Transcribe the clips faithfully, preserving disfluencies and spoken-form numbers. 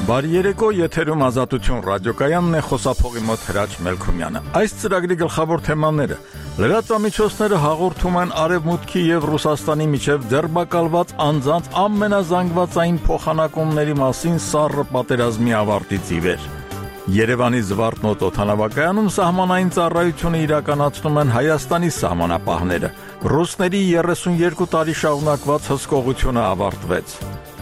Բարի երեկո, եթերում Ազատություն ռադիոկայանն է, խոսափողի մոտ Հրաչ Մելքումյանը։ Այս ծրագրի գլխավոր թեմաները՝ լրատվամիջոցները հաղորդում են Արևմուտքի եւ Ռուսաստանի միջև ձեռբակալված անձանց ամենազանգվածային փոխանակումների մասին սառը պատերազմի ավարտից ի վեր։ Երևանի Զվարթնոտ օդանավակայանում սահմանային ծառայությունը իրականացնում են Հայաստանի սահմանապահները։ Ռուսների երեսունյերկու տարի շարունակված հսկողությունը ավարտվեց։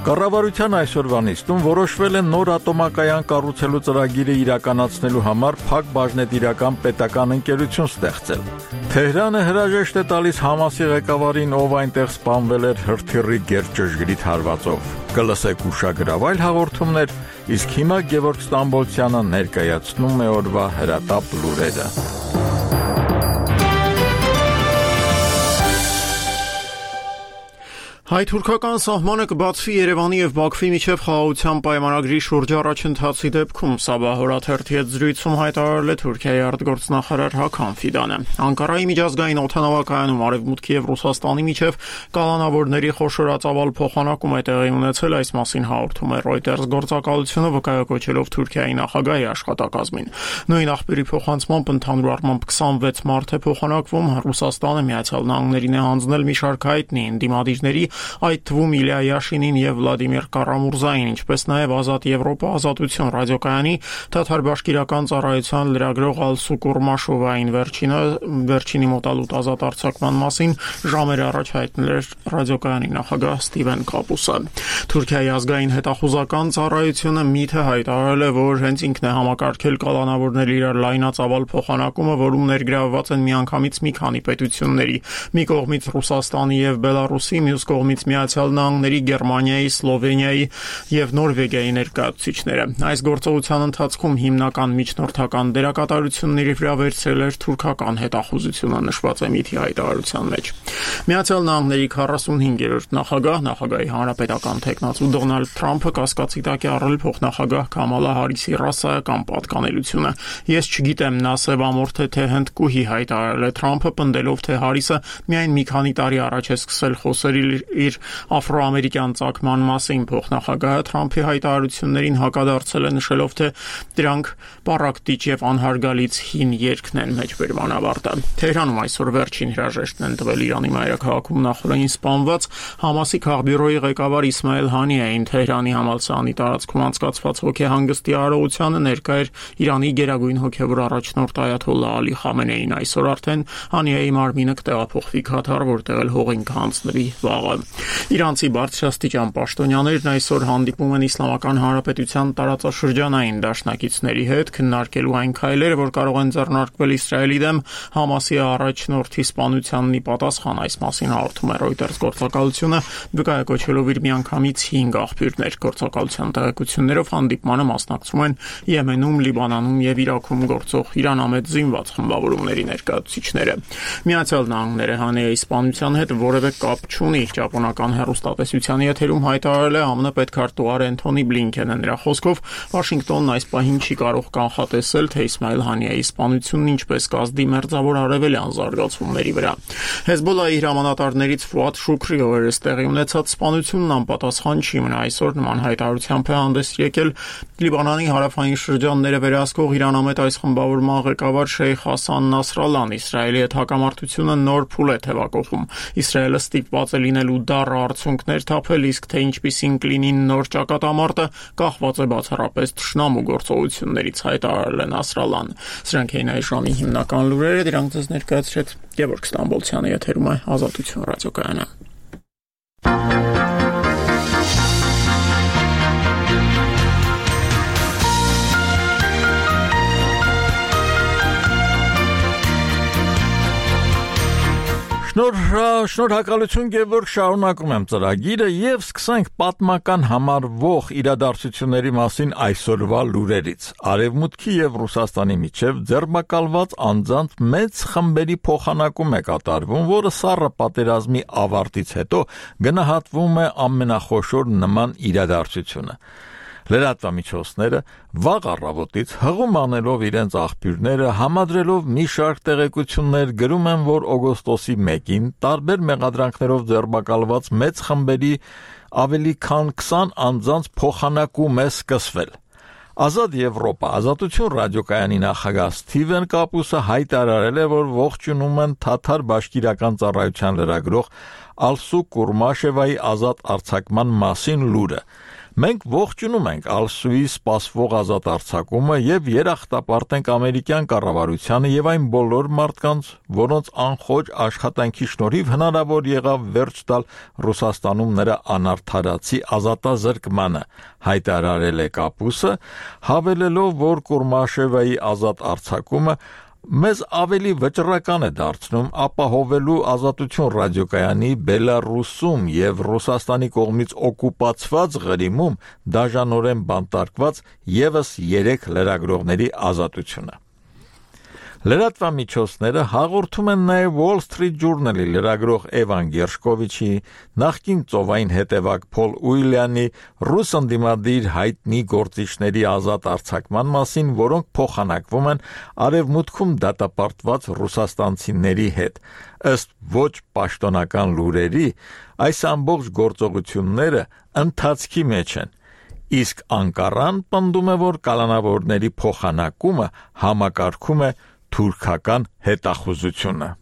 Կառավարության այսօրվա նիստում որոշվել է նոր ատոմակայան կառուցելու ծրագիրը իրականացնելու համար փակ բաժնետիրական պետական ընկերություն ստեղծել։ Թեհրանը հրաժեշտ է տալիս Համասի ղեկավարին, ով այնտեղ սպանվել էր հրթիռի գերճշգրիտ հարվածով։ Կլսեք ուշագրավ այլ հաղորդումներ, իսկ հիմա Գևորգ Ստամբոլցյանը ներկայացնում է օրվա հրատապ լուրերը։ Հայ-թուրքական սահմանը կբացվի Երևանի եւ Բաքվի միջև խաղաղության պայմանագրի շուրջ առաջընթացի դեպքում, Սաբահորաթերթի հետ զրույցում հայտարարել է Թուրքիայի արտգործնախարար Հական Ֆիդանը։ Անկարայի միջազգային օդանավակայանում Արևմուտքի եւ Ռուսաստանի միջև կալանավորների խոշորածավալ փոխանակում է տեղի ունեցել, այս մասին հաղորդում է Reuters գործակալությունը, վկայակոչելով Թուրքիայի նախագահի աշխատակազմին։ Նույն աղբյուրի փոխանցմամբ ընդհանուր առմամբ քսանվեց մարդ է փոխանակվում, Ռուսաստանը Միացյալ Նահանգներին է հանձնել մի շարք հայտնի ընդդիմադիրների, այդ թվում Իլիա Յաշինին եւ Վլադիմիր Կարամուրզային, ինչպես նաեւ Ազատ Եվրոպա Ազատություն ռադիոկայանի թաթար-բաշկիրական ծառայության լրագրող Ալսու Կուրմաշովային վերջինը վերջինի մոտալուտ ազատ արձակման մասին ժամեր առաջ հայտնել էր ռադիոկայանի նախագահ Ստիվեն Կապուսը։ Թուրքիայի ազգային հետախուզական ծառայությունը միթե հայտարարել է, որ հենց ինքն է համակարգել կալանավորների իրար լայնածավալ փոխանակումը, որում ներգրավված են միանգամից մի քանի պետությունների՝ մի կողմից Ռուսաստանի եւ Բելարուսի, մյուս կողմից Միացյալ Նահանգների, Գերմանիայի, Սլովենիայի եւ Նորվեգիայի ներկայացուցիչները։ Այս գործողության ընթացքում հիմնական միջնորդական դերակատարությունների վրա վերցրել էր թուրքական հետախուզությունը, նշված է միթի հայտարարության մեջ։ Միացյալ Նահանգների քառասունհինգերորդ նախագահ, նախագահի հանրապետական թեկնածու Դոնալդ Թրամփը կասկածի տակ է առել փոխնախագահ Կամալա Հարիսի ռասայական պատկանելությունը։ Ես չգիտեմ, նա սևամորթ է թե հնդկուհի, հայտարարել է Թրամփը, պնդելով, թե Հարիսը միայն մի քանի տարի առաջ է սկսել խոսել իր աֆրոամերիկյան ծագման մասին։ Փոխնախագահը Թրամփի հայտարարություններին հակադարձել է, նշելով, թե դրանք պառակտիչ եւ անհարգալից հին երգն են, մեջբերման ավարտը։ Թեհրանում այսօր վերջին հրաժեշտն են տվել Իրանի մայրաքաղաքում նախորդին սպանված Համասի քաղբյուրոյի ղեկավար Իսմայել Հանիային։ Թեհրանի համալսարանի տարածքում անցկացված հոգեհանգստի արարողությանը ներկա էր Իրանի գերագույն հոգևոր առաջնորդ Այաթոլլահ Ալի Խամենեին։ Այսօր արդեն Հանիայի մարմինը կտեղափոխվի Քաթար, որտեղ էլ հողին կհանձնվի վաղը։ Իրանցի բարձրաստիճան պաշտոնյաներն այսօր հանդիպում են Իսլամական Հանրապետության տարածաշրջանային դաշնակիցների հետ, քննարկելու այն քայլերը, որ կարող են ձեռնարկվել Իսրայելի դեմ Համասի առաջնորդի սպանությանն ի պատասխան։ Այս մասին հաղորդում է Reuters գործակալությունը, վկայակոչելով իր միանգամից հինգ աղբյուրներ։ Գործակալության տեղեկություններով հանդիպմանը մասնակցում են Եմենում, Լիբանանում եւ Իրաքում գործող իրանամետ զինված խմբավորումների ներկայացուցիչները։ Միացյալ Նահանգները Հանիայի սպանության հետ որևէ կապ չունի։ Ճապոնական հեռուստատեսության եթերում հայտարարել է ԱՄՆ պետքարտուղար Էնթոնի Բլինքենը։ Նրա խոսքով Վաշինգտոնն այս պահին չի կարող կանխատեսել, թե Իսմայել Հանիայի սպանությունն ինչպես կազդի մերձավոր արևելյան զարգացումների վրա։ Հեզբոլլահի հրամանատարներից Ֆուադ Շուքրի օրերս տեղի ունեցած սպանությունն անպատասխան չի մնա։ Այսօր նման հայտարարությամբ է հանդես եկել Լիբանանի հարավային շրջանները վերահսկող իրանամետ այս խմբավորման ղեկավար Շեյխ Հասան Նասրալլան։ Իսրայելի հետ հակամարտությունը նոր փուլ է թևակողում։ Իսրայելը ստիպված է լինելու դառը արդյունքներ թափել, իսկ թե ինչպիսին կլինի նոր ճակատամարտը, կախված է բացառապես թշնամու գործողություններից, հայտարարել է Նասրալլան։ Սրանք էին այս ժամի հիմնական լուրերը, դրանք ձեզ ներկայացրեց Գևորգ Ստամբոլցյանը, եթերում է Ազատություն ռադիոկայանը։ Շնորհակալություն Գևորգ, շարունակում եմ ծրագիրը եւ սկսենք պատմական համարվող իրադարձությունների մասին այսօրվա լուրերից։ Արևմուտքի եւ Ռուսաստանի միջև ձեռբակալված անձանց մեծ խմբերի փոխանակում է կատարվում, որը սառը պատերազմի ավարտից հետո գնահատվում է ամենախոշոր նման իրադարձությունը։ Լրատվամիջոցները վաղ առավոտից հղում անելով իրենց աղբյուրները, համադրելով մի շարք տեղեկություններ, գրում են, որ օգոստոսի մեկին տարբեր մեղադրանքներով ձերբակալված մեծ խմբերի ավելի քան քսան անձանց փոխանակում է սկսվել։ Ազատ Եվրոպա Ազատություն ռադիոկայանի նախագահ Սթիվեն Կապուսը հայտարարել է, որ ողջունում են Թաթար բաշկիրական ծառայության լրագրող Ալսու Կուրմաշևայի ազատ արձակման մասին լուրը։ Մենք ողջունում ենք Ալսուի սպասվող ազատ արձակումը եւ երախտապարտ ենք ամերիկյան կառավարությանը եւ այն բոլոր մարդկանց, որոնց անխոճ աշխատանքի շնորհիվ հնարավոր եղավ վերջ տալ Ռուսաստանում նրա անարդարացի ազատազրկմանը, հայտարարել է Կապուսը, հավելելով, որ Կուրմաշևայի ազատ արձակումը մեզ ավելի վճռական է դարձնում ապահովելու Ազատություն ռադիոկայանի Բելարուսում եւ Ռուսաստանի կողմից օկուպացված Ղրիմում դաժանորեն բանտարկված եւս երեք լրագրողների ազատությունը։ Լրատվամիջոցները հաղորդում են նաև Wall Street Journal-ի լրագրող Էվան Գերշկովիչի, նախկին ծովային հետևակ Փոլ Ուիլյանի ռուս ընդդիմադիր հայտնի գործիչների ազատ արձակման մասին, որոնք փոխանակվում են արևմուտքում դատապարտված ռուսաստանցիների հետ։ Ըստ ոչ պաշտոնական լուրերի, այս ամբողջ գործողությունները ընթացքի մեջ են։ Իսկ Անկարան պնդում է, որ կալանավորների փոխանակումը համակարգում է թուրքական հետախուզությունը։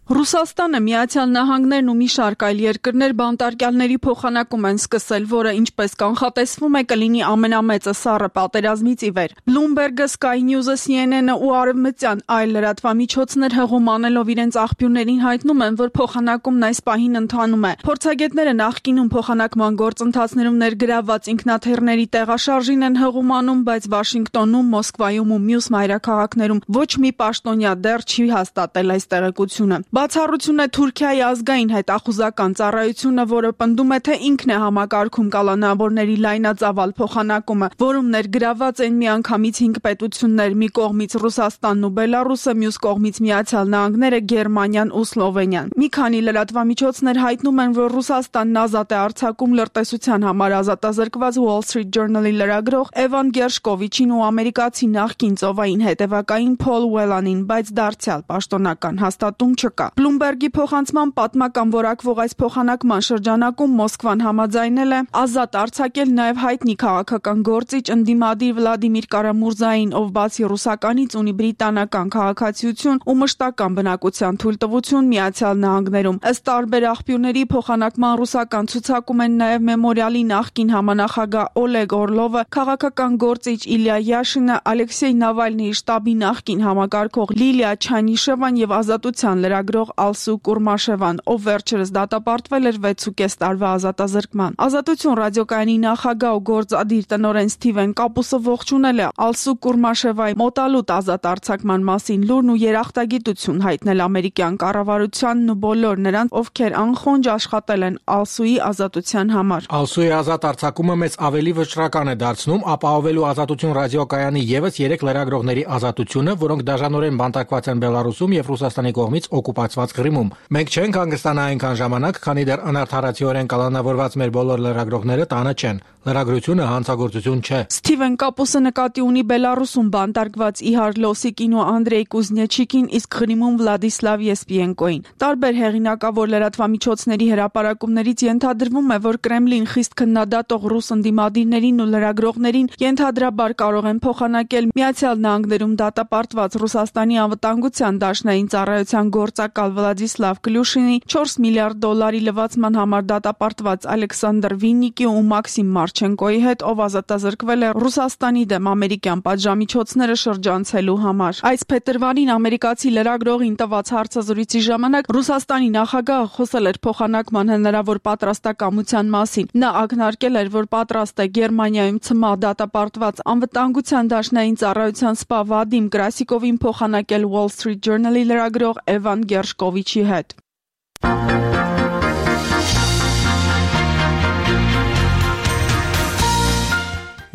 Ռուսաստանը, Միացյալ Նահանգներն ու մի շարք այլ երկրներ բանտարկյալների փոխանակում են սկսել, որը ինչպես կանխատեսվում է կլինի ամենամեծը սառը պատերազմից ի վեր։ Bloomberg-ը, Sky News-ը, C N N-ը ու արևմտյան այլ լրատվամիջոցներ հղում անելով իրենց աղբյուրներին հայտնում են, որ փոխանակումն այս պահին ընթանում է։ Փորձագետները նախկինում փոխանակման գործընթացներում ներգրավված ինքնաթիռների տեղաշարժին են հղում անում, բայց Վաշինգտոնում, Մոսկվայում ու մյուս մայրաքաղաքներում ոչ մի պաշտոնյա դեռ չի հաստատել այս տեղեկությունը։ Բացառություն է Թուրքիայի ազգային հետախուզական ծառայությունը, որը պնդում է, թե ինքն է համակարգում կալանավորների լայնածավալ փոխանակումը, որում ներգրավված են միանգամից հինգ պետություններ՝ մի կողմից Ռուսաստանն ու Բելարուսը, մյուս կողմից Միացյալ Նահանգները, Գերմանիան ու Սլովենիան։ Մի քանի լրատվամիջոցներ հայտնում են, որ Ռուսաստանն ազատ է արձակում լրտեսության համար ազատազրկված Wall Street Journal-ի լրագրող Էվան Գերշկովիչին ու ամերիկացի նախկին ծովային հետևակային Փոլ Ուելանին, բայց դարձյալ պաշտոնական հաստատում չկա։ Bloomberg-ի փոխանցման պատմական որակվող այս փոխանակման շրջանակում Մոսկվան համաձայնել է ազատ արձակել նաև հայտնի քաղաքական գործիչ ընդդիմադիր Վլադիմիր Կարամուրզային, ով բացի ռուսականից ունի բրիտանական քաղաքացիություն ու մշտական բնակության թույլտվություն Միացյալ Նահանգներում։ Ըստ տարբեր աղբյուրների փոխանակման ռուսական ցուցակում են նաև Մեմորիալի նախկին համանախագահ Օլեգ Օրլովը, քաղաքական գործիչ Իլյա Յաշինը, Ալեքսեյ Նավալնիի շտաբի նախկին համակարգող Լիլիա Չանիշևան եւ Ազատության լրագրող Ալսու Կուրմաշևան, ով վերջերս դատապարտվել էր վեցուկես տարվա ազատազրկման։ Ազատություն ռադիոկայանի նախագահ ու գործադիր տնօրեն Սթիվեն Կապուսը ողջունել է Ալսու Կուրմաշևայի մոտալուտ ազատ արձակման մասին լուրն ու երախտագիտություն հայտնել ամերիկյան կառավարությանն ու բոլոր նրանց, ովքեր անխոնջ աշխատել են Ալսուի ազատության համար։ Ալսուի ազատ արձակումը մեծ ավելի վճռական է դարձնում ապահովելու Ազատություն ռադիոկայանի եւս երեք լրագրողների ազատությունը, որոնք դաժանորեն բանտարկված են Բելարուսում եւ Ռուսաստանի կողմից օկուպացված Ղրիմում։ Մենք չենք հանգստանա այնքան ժամանակ, քանի դեռ անարդարացիորեն կալանավորված մեր բոլոր լրագրողները տանը չեն։ Լրագրությունը հանցագործություն չէ։ Սթիվեն Կապուսը նկատի ունի Բելարուսում բանտարկված Իհար Լոսիկին ու Անդրեյ Կուզնեչիկին, իսկ Ղրիմում Վլադիսլավ Եսպիենկոին։ Տարբեր հեղինակավոր լրատվամիջոցների հրապարակումներից ենթադրվում է, որ Կրեմլին խիստ քննադատող ռուս ընդդիմադիրներին ու լրագրողներին ենթադրաբար կարող են փոխանակել Միացյալ Նահանգներում դատապարտված Ռուսաստանի անվտանգության դաշնային ծառայության գործակալ Վլադիսլավ Կլյուշինի, չորս միլիարդ դոլարի լվացման համար դատապարտված Ալեքսանդր Վիննիկի ու Մաքսիմ Մարչենկոյի հետ, ով ազատազրկվել է Ռուսաստանի դեմ ամերիկյան պատժամիջոցները շրջանցելու համար։ Այս փետրվարին ամերիկացի լրագրողին տված հարցազրույցի ժամանակ Ռուսաստանի նախագահը խոսել էր փոխանակման հնարավոր պատրաստակամության մասին։ Նա ակնարկել էր, որ պատրաստ է Գերմանիայում ցմահ դատապարտված անվտանգության դաշնային ծառայության սպա Վադիմ Կրասիկովին փոխանակել Wall Street Journal-ի լրագրող Էվան Գերշկովիչի հետ։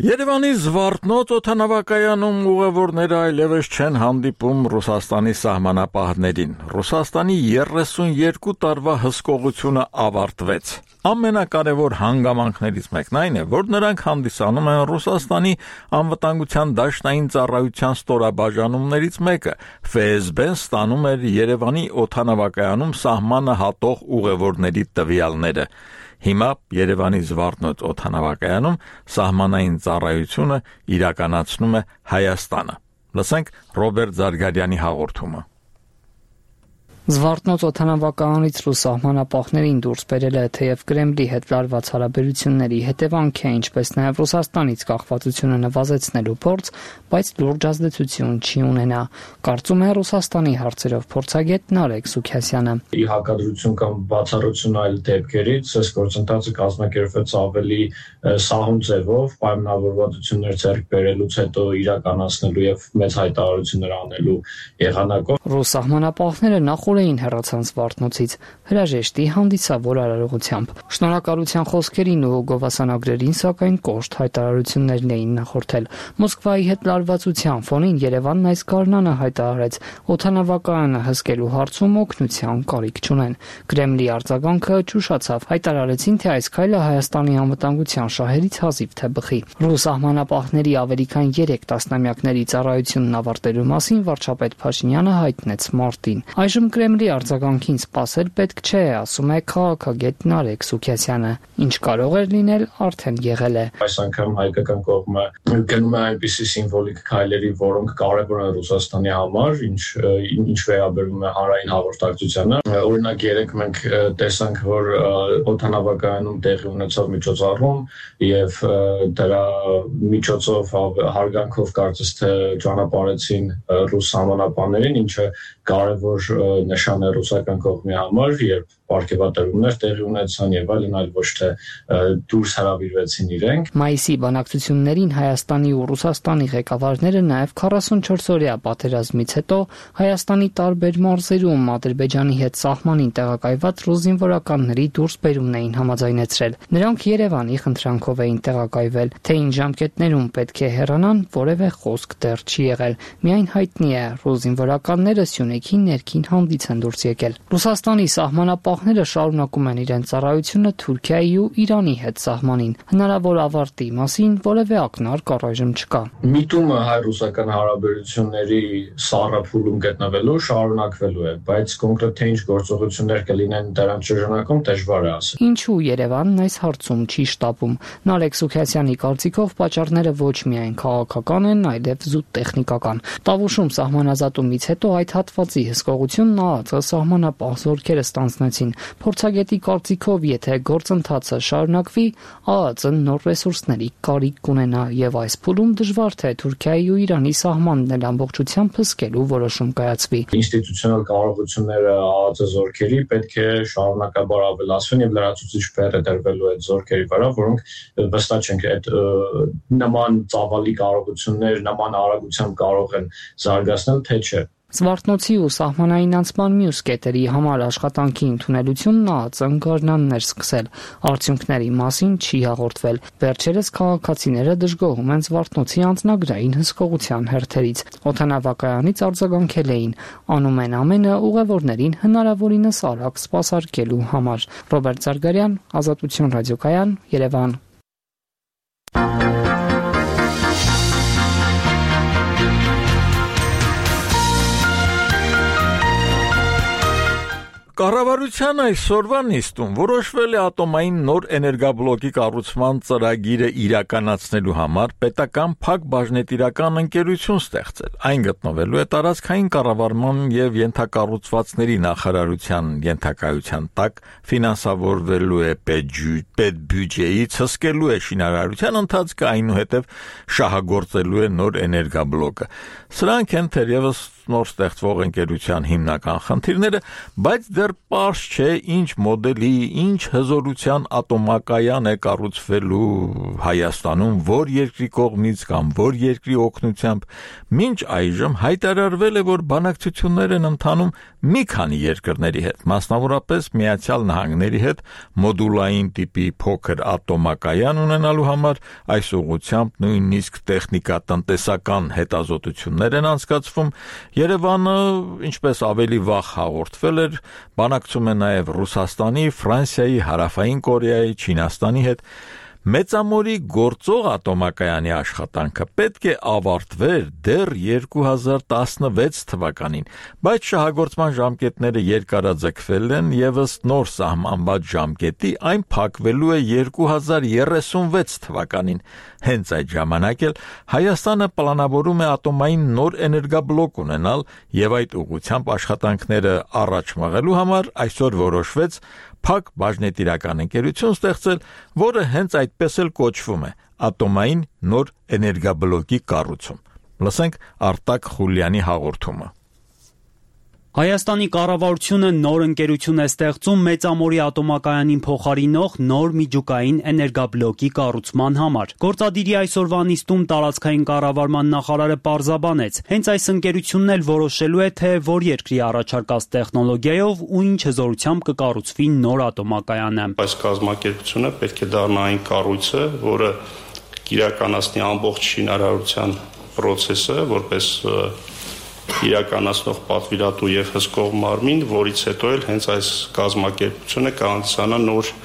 Երևանի Զվարթնոց օդանավակայանում ուղևորները այլևս չեն հանդիպում Ռուսաստանի սահմանապահներին։ Ռուսաստանի երեսուն երկու տարվա հսկողությունը ավարտվեց։ Ամենակարևոր հանգամանքներից մեկն այն է, որ նրանք հանդիսանում են Ռուսաստանի անվտանգության դաշնային ծառայության ստորաբաժանումներից մեկը։ Ֆ S B-ն ստանում էր Երևանի օդանավակայանում սահմանը հատող ուղևորների տվյալները։ Հիմա Երևանի Զվարթնոց օդանավակայանում սահմանային ծառայությունը իրականացնում է Հայաստանը։ Լսենք Ռոբերտ Զարգարյանի հաղորդումը։ Զվարթնոց օդանավակայանից ռուս սահմանապահներին դուրս բերել է թեև Կրեմլի հետ լարված հարաբերությունների հետևանք է, ինչպես նաև Ռուսաստանից կախվածությունը նվազեցնելու փորձ, բայց լուրջ ազդեցություն չի ունենա, կարծում է Ռուսաստանի հարցերով փորձագետ Նարեկ Սուքասյանը։ Ի հակադրություն կամ բացառություն այլ դեպքերից, այս գործընթացը կազմակերպվեց ավելի սահուն ձևով, պայմանավորվածություններ ձեռք բերելուց հետո իրականացնելու եւ մեծ հայտարարություններ անելու եղանակով։ Ռուս սահմանապահները նախ էին հեռացան Զվարթնոցից հրաժեշտի հանդիսավոր արարողությամբ։ Շնորհակալության խոսքերին ու գովասանագրերին, սակայն կոշտ հայտարարություններն էին նախորդել։ Մոսկվայի հետ լարվածության ֆոնին Երևանն այս գարնանը հայտարարեց օդանավակայանը հսկելու հարցում օգնության կարիք չունեն։ Կրեմլի արձագանքը ճուշացավ, հայտարարեցին, թե այս քայլը Հայաստանի անվտանգության շահերից հազիվ թե բխի։ Ռուս սահմանապահների ավելի քան երեք տասնամյակների ծառայությունն ավարտելու մասին վարչապետ Փաշինյանը հայտնեց մարտին։ Այժմ Կրեմլի արձագանքին սպասել պետք չէ, ասում է քաղաքագետ Նարեկ Սուքասյանը։ Ինչ կարող էր լինել, արդեն եղել է։ Այս անգամ հայկական կողմը գնում է այնպիսի սիմվոլիկ քայլերի, որոնք կարևոր են Ռուսաստանի համար, ինչ ինչ վերաբերում է հանրային հաղորդակցությանը։ Օրինակ երեք մենք տեսանք, որ օդանավակայանում տեղի ունեցավ միջոցառում եւ դրա միջոցով հարգանքով կարծես թե ճանապարհեցին ռուս սահմանապահներին, ինչը կարևոր նշան է ռուսական կողմի համար, երբ պարգևատրումներ տեղի ունեցան եւ այլն, այլ ոչ թե դուրս հրավիրվեցին իրենք։ Մայիսի բանակցություններին Հայաստանի ու Ռուսաստանի ղեկավարները նաև քառասունչորս-օրյա պատերազմից հետո Հայաստանի տարբեր մարզերում Ադրբեջանի հետ սահմանին տեղակայված ռուս զինվորականների դուրսբերումն էին համաձայնեցրել։ Նրանք Երևանի խնդրանքով էին տեղակայվել, թե ինչ ժամկետներում պետք է հեռանան, որևէ խոսք դեռ չի եղել։ Միայն հայտնի է, ռուս զինվորականները Սյունեքի ներքին հանդից են դուրս եկել։ Ռուսաստանի սահմանապահները շարունակում են իրենց ծառայությունը Թուրքիայի ու Իրանի հետ սահմանին։ Հնարավոր ավարտի մասին որևէ ակնարկ առայժմ չկա։ Միտումը հայ-ռուսական հարաբերությունների սառափուլում գտնվելու շարունակվելու է, բայց կոնկրետ թե ինչ գործողություններ կլինեն դրանց շրջանակում դժվար է ասել։ Ինչու Երևանն այս հարցում չի շտապում։ Նարեկ Սուքասյանի կարծիքով պատճառները ոչ միայն քաղաքական են, այլև զուտ տեխնիկական։ Տավուշում սահմանազատումից հետո այդ հատվածի հսկողությունն ԱԱԾ սահմանապահ զորքերը ստանձնեցին։ Փորձագետի կարծիքով, եթե գործընթացը շարունակվի, ԱԱԾ-ն նոր ռեսուրսների կարիք կունենա եւ այս փուլում դժվար թե Թուրքիայի ու Իրանի սահմանն էլ ամբողջությամբ հսկելու որոշում կայացվի։ Ինստիտուցիոնալ կարողությունները ԱԱԾ զորքերի պետք է շարունակաբար ավելացվեն եւ լրացուցիչ բեռ դրվելու այդ զորքերի վրա, որոնք վստահ չենք այդ նման ծավալի կարողություններ նման արագությամբ կարող են զարգացնել, թե չէ։ Զվարթնոցի ու սահմանային անցման մյուս կետերի համար աշխատանքի ընդունելությունն ԱԱԾ-ն գարնանն էր սկսել։ Արդյունքների մասին չի հաղորդվել։ Վերջերս քաղաքացիները դժգոհում են Զվարթնոցի անձնագրային հսկողության հերթերից։ Օդանավակայանից արձագանքել էին, անում են ամենը ուղևորներին հնարավորինս արագ սպասարկելու համար։ Ռոբերտ Զարգարյան, Ազատություն ռադիոկայան, Երևան։ Կառավարության այսօրվա նիստում որոշվել է ատոմային նոր էներգաբլոկի կառուցման ծրագիրը իրականացնելու համար պետական փակ բաժնետիրական ընկերություն ստեղծել։ Այն գտնվելու է տարածքային կառավարման եւ ենթակառուցվածքների նախարարության ենթակայության տակ, ֆինանսավորվելու է պետբյուջեից, հսկելու է շինարարության ընթացքը, այնուհետև շահագործելու է նոր էներգաբլոկը։ Սրանք են թերևս նոր ստեղծվող ընկերության հիմնական խնդիրները, բայց դեռ պարզ չէ ինչ մոդելի, ինչ հզորության ատոմակայան է կառուցվելու Հայաստանում, որ երկրի կողմից կամ որ երկրի օգնությամբ։ Մինչ այժմ հայտարարվել է, որ բանակցություններ են ընթանում մի քանի երկրների հետ, մասնավորապես Միացյալ Նահանգների հետ մոդուլային տիպի փոքր ատոմակայան ունենալու համար այս ուղղությամբ նույնիսկ տեխնիկա-տնտեսական հետազոտություններ են անցկացվում։ Երևանը, ինչպես ավելի վաղ հաղորդվել էր, բանակցում է նաև Ռուսաստանի, Ֆրանսիայի, Հարավային Կորեայի, Չինաստանի հետ։ Մեծամորի գործող ատոմակայանի աշխատանքը պետք է ավարտվեր դեռ երկու հազար տասնվեց թվականին, բայց շահագործման ժամկետները երկարաձգվել են եւ ըստ նոր սահմանված ժամկետի այն փակվելու է երկու հազար երեսունվեց թվականին։ Հենց այդ ժամանակ էլ Հայաստանը պլանավորում է ատոմային նոր էներգաբլոկ ունենալ եւ այդ ուղղությամբ աշխատանքները առաջ մղելու համար այսօր որոշվեց փակ բաժնետիրական ընկերություն ստեղծել, որը հենց այդպես էլ կոչվում է ատոմային նոր էներգաբլոկի կառուցում։ Լսենք Արտակ Խուլյանի հաղորդումը։ Հայաստանի կառավարությունը նոր ընկերություն է ստեղծում Մեծամորի ատոմակայանին փոխարինող նոր միջուկային էներգաբլոկի կառուցման համար։ Գործադիրի այսօրվա նիստում տարածքային կառավարման նախարարը պարզաբանեց, հենց այս ընկերությունն էլ որոշելու է, թե որ երկրի առաջարկած տեխնոլոգիայով ու ինչ հզորությամբ կկառուցվի նոր ատոմակայանը։ Այս կազմակերպությունը պետք է դառնա այն կառույցը, որը կիրականացնի ամբողջ շինարարության process-ը, որպես իրականացնող պատվիրատու եւ հսկող մարմին, որից հետո էլ հենց այս կազմակերպությունը կհանդիսանա նոր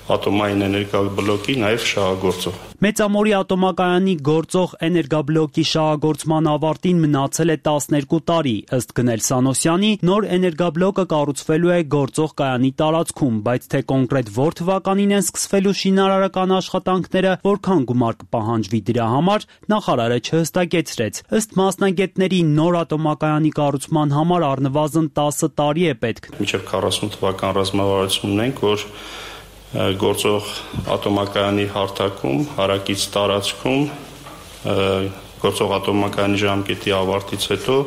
ատոմային էներգաբլոկի նաեւ շահագործող։ Մեծամորի ատոմակայանի գործող էներգաբլոկի շահագործման ավարտին մնացել է տասներկու տարի, ըստ Գնել Սանոսյանի, նոր էներգաբլոկը կառուցվելու է գործող կայանի տարածքում, բայց թե կոնկրետ որ թվականին են սկսվելու շինարարական աշխատանքները, որքան գումար կպահանջվի դրա համար, նախարարը չհստակեցրեց։ Ըստ մասնագետների, նոր ատոմակայանի կառուցման համար առնվազն տասը տարի է պետք։ Մինչև քառասուն թվական ռազմավարություն ունենք, որ գործող ատոմակայանի հարթակում, հարակից տարածքում, գործող ատոմակայանի ժամկետի ավարտից հետո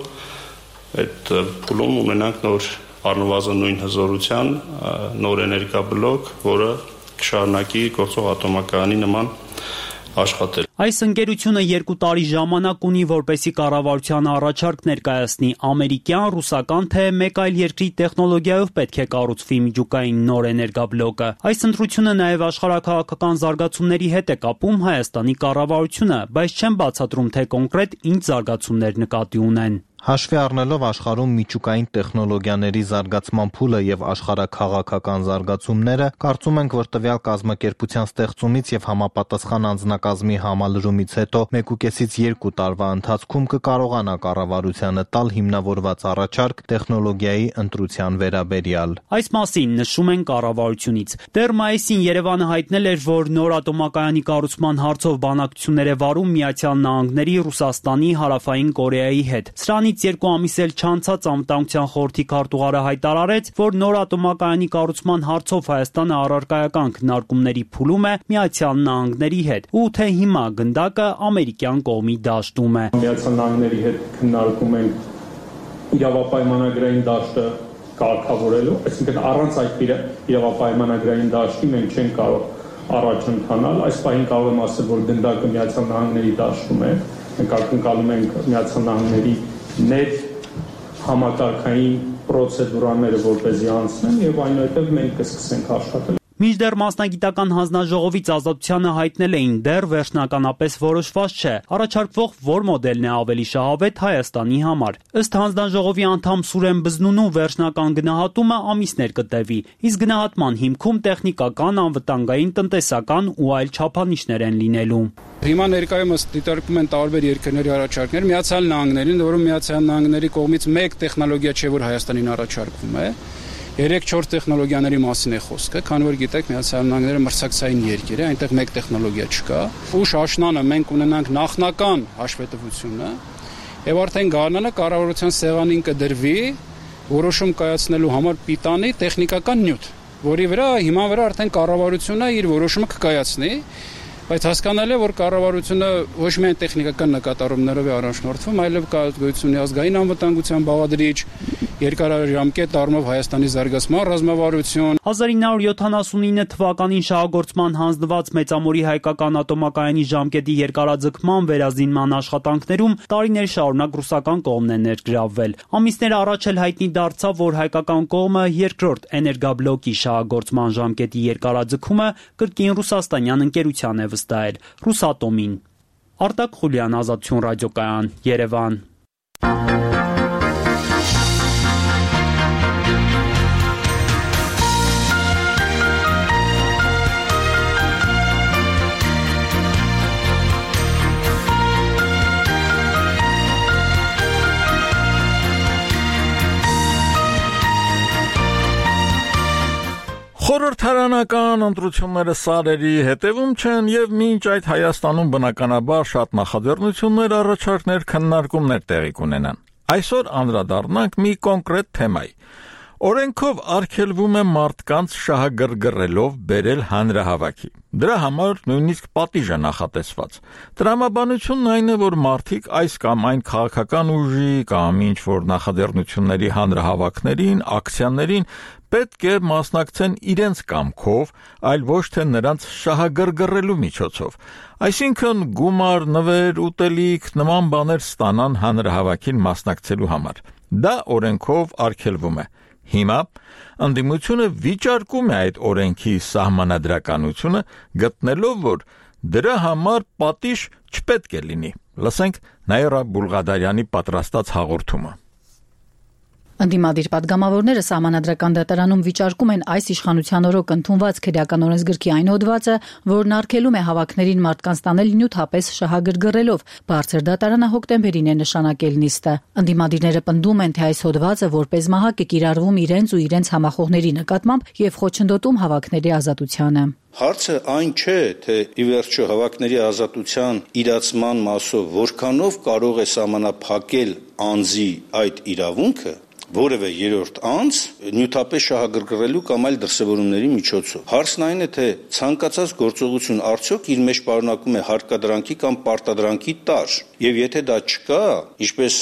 այդ փուլում ունենանք նոր առնվազն նույն հզորության նոր էներգաբլոկ, որը կշարունակի գործող ատոմակայանի նման աշխատել։ Այս ընկերությունը երկու տարի ժամանակ ունի, որպեսզի կառավարության առաջարկ ներկայացնի ամերիկյան, ռուսական, թե մեկ այլ երկրի տեխնոլոգիայով պետք է կառուցվի միջուկային նոր էներգաբլոկը։ Այս ընտրությունը նաև աշխարհաքաղաքական զարգացումների հետ է կապում Հայաստանի կառավարությունը, բայց չեն բացատրում, թե կոնկրետ ինչ զարգացումներ նկատի ունեն։ Հաշվի առնելով աշխարհում միջուկային տեխնոլոգիաների զարգացման փուլը եւ աշխարհաքաղաքական զարգացումները, կարծում ենք, որ տվյալ կազմակերպության ստեղծումից եւ համապատասխան անձնակազմի համալրումից հետո մեկուկեսից երկու տարվա ընթացքում կկարողանա կառավարությանը տալ հիմնավորված առաջարկ տեխնոլոգիայի ընտրության վերաբերյալ։ Այս մասին նշում են կառավարությունից։ Դեռ մայիսին Երևանը հայտնել էր, որ նոր ատոմակայանի կառուցման հարցով բանակցություններ է վարում Միացյալ Նահանգների, Ռուսաստանի, Հարավային Կորեայի հետ։ Սրանից երկու ամիս էլ չանցած անվտանգության խորհրդի քարտուղարը հայտարարեց, որ նոր ատոմակայանի կառուցման հարցով Հայաստանը առարկայական քննարկումների փուլում է Միացյալ Նահանգների հետ, ու թե հիմա գնդակը ամերիկյան կողմի դաշտում է։ Միացյալ Նահանգների հետ քննարկում են իրավապայմանագրային դաշտը կարգավորելու, այսինքն առանց այդ իրավապայմանագրային դաշտի մենք չենք կարող առաջ ընթանալ։ Այս պահին կարող եմ ասել, որ գնդակը Միացյալ Նահանգների դաշտում է։ Մենք ակնկալում ենք Միացյալ Նահանգների net համակարգային պրոցեդուրաները որպեսզի անցնեն եւ այնուհետեւ մենք կսկսենք աշխատել։ Մինչդեռ մասնագիտական հանձնաժողովից Ազատությանը հայտնել էին, դեռ վերջնականապես որոշված չէ, առաջարկվող որ մոդելն է ավելի շահավետ Հայաստանի համար։ Ըստ հանձնաժողովի անդամ Սուրեն Բզնունու վերջնական գնահատումը ամիսներ կտևի, իսկ գնահատման հիմքում տեխնիկական, անվտանգային, տնտեսական ու այլ չափանիշներ են լինելու։ Հիմա ներկայումս դիտարկում են տարբեր երկրների առաջարկներ, Միացյալ Նահանգներին, որում Միացյալ Նահանգների կողմից մեկ տեխնոլոգիա չէ, որ Հայաստանին առաջարկվում է։ երեք-չորս տեխնոլոգիաների մասին է խոսքը, քանի որ գիտեք, Միացյալ Նահանգները մրցակցային երկիր է, այնտեղ մեկ տեխնոլոգիա չկա։ Ուշ աշնանը մենք ունենանք նախնական հաշվետվությունը, եւ արդեն գարնանը կառավարության սեղանին կդրվի որոշում կայացնելու համար պիտանի տեխնիկական նյութ, որի վրա հիմա վրա արդեն կառավարությունը իր որոշումը կկայացնի, բայց հասկանալի է, որ կառավարությունը ոչ միայն տեխնիկական նկատառումներով է առաջնորդվում, այլև կա գոյություն ազգային անվտանգության բաղադրիչ երկարաժամկետ առումով Հայաստանի զարգացման ռազմավարություն։ հազար ինը հարյուր յոթանասունինը թվականին շահագործման հանձնված Մեծամորի հայկական ատոմակայանի ժամկետի երկարաձգման վերազինման աշխատանքներում տարիներ շարունակ ռուսական կողմն է ներգրավվել։ Ամիսներ առաջ էլ հայտնի դարձավ, որ հայկական կողմը երկրորդ էներգաբլոկի շահագործման ժամկետի երկարաձգումը կրկին ռուսաստանյան ընկերության է վստահել՝ Ռուսատոմին։ Արտակ Խուլյան, Ազատություն ռադիոկայան, Երևան։ Խորհրդարանական ընտրությունները սարերի հետևում չեն եւ մինչ այդ Հայաստանում բնականաբար շատ նախաձեռնություններ, առաջարկներ, քննարկումներ տեղի կունենան։ Այսօր անդրադառնանք մի կոնկրետ թեմայի։ Օրենքով արգելվում է մարդկանց շահագրգռելով բերել հանրահավաքի։ Դրա համար նույնիսկ պատիժ է նախատեսված։ Տրամաբանությունն այն է, որ մարդիկ այս կամ այն քաղաքական ուժի կամ ինչ-որ նախաձեռնությունների հանրահավաքներին, ակցիաներին պետք է մասնակցեն իրենց կամքով, այլ ոչ թե նրանց շահագրգռելու միջոցով։ Այսինքն գումար, նվեր, ուտելիք, նման բաներ ստանան հանրահավաքին մասնակցելու համար։ Դա օրենքով արգելվում է։ Հիմա ընդդիմությունը վիճարկում է այդ օրենքի սահմանադրականությունը, գտնելով, որ դրա համար պատիժ չպետք է լինի։ Լսենք Նաիրա Բուլղադարյանի պատրաստած հաղորդումը։ Ընդդիմադիր պատգամավորները Սահմանադրական դատարանում վիճարկում են այս իշխանության օրոք ընդունված քրեական օրենսգրքի այն հոդվածը, որն արգելում է հավաքներին մարդկանց տանել նյութապես շահագրգռելով։ Բարձր դատարանը հոկտեմբերին է նշանակել նիստը։ Ընդդիմադիրները պնդում են, թե այս հոդվածը որպես մահակ է կիրառվում իրենց ու իրենց համախոհների նկատմամբ եւ խոչընդոտում հավաքների ազատությանը։ Հարցը այն չէ, թե ի վերջո հավաքների ազատության իրացման մասով որքանով կարող է սահմանափակել անձի այդ իրավունքը, որևէ երրորդ անձ նյութապես շահագրգռելու կամ այլ դրսևորումների միջոցով։ Հարցն այն է, թե ցանկացած գործողություն արդյոք իր մեջ պարունակում է հարկադրանքի կամ պարտադրանքի տար, եւ եթե դա չկա, ինչպես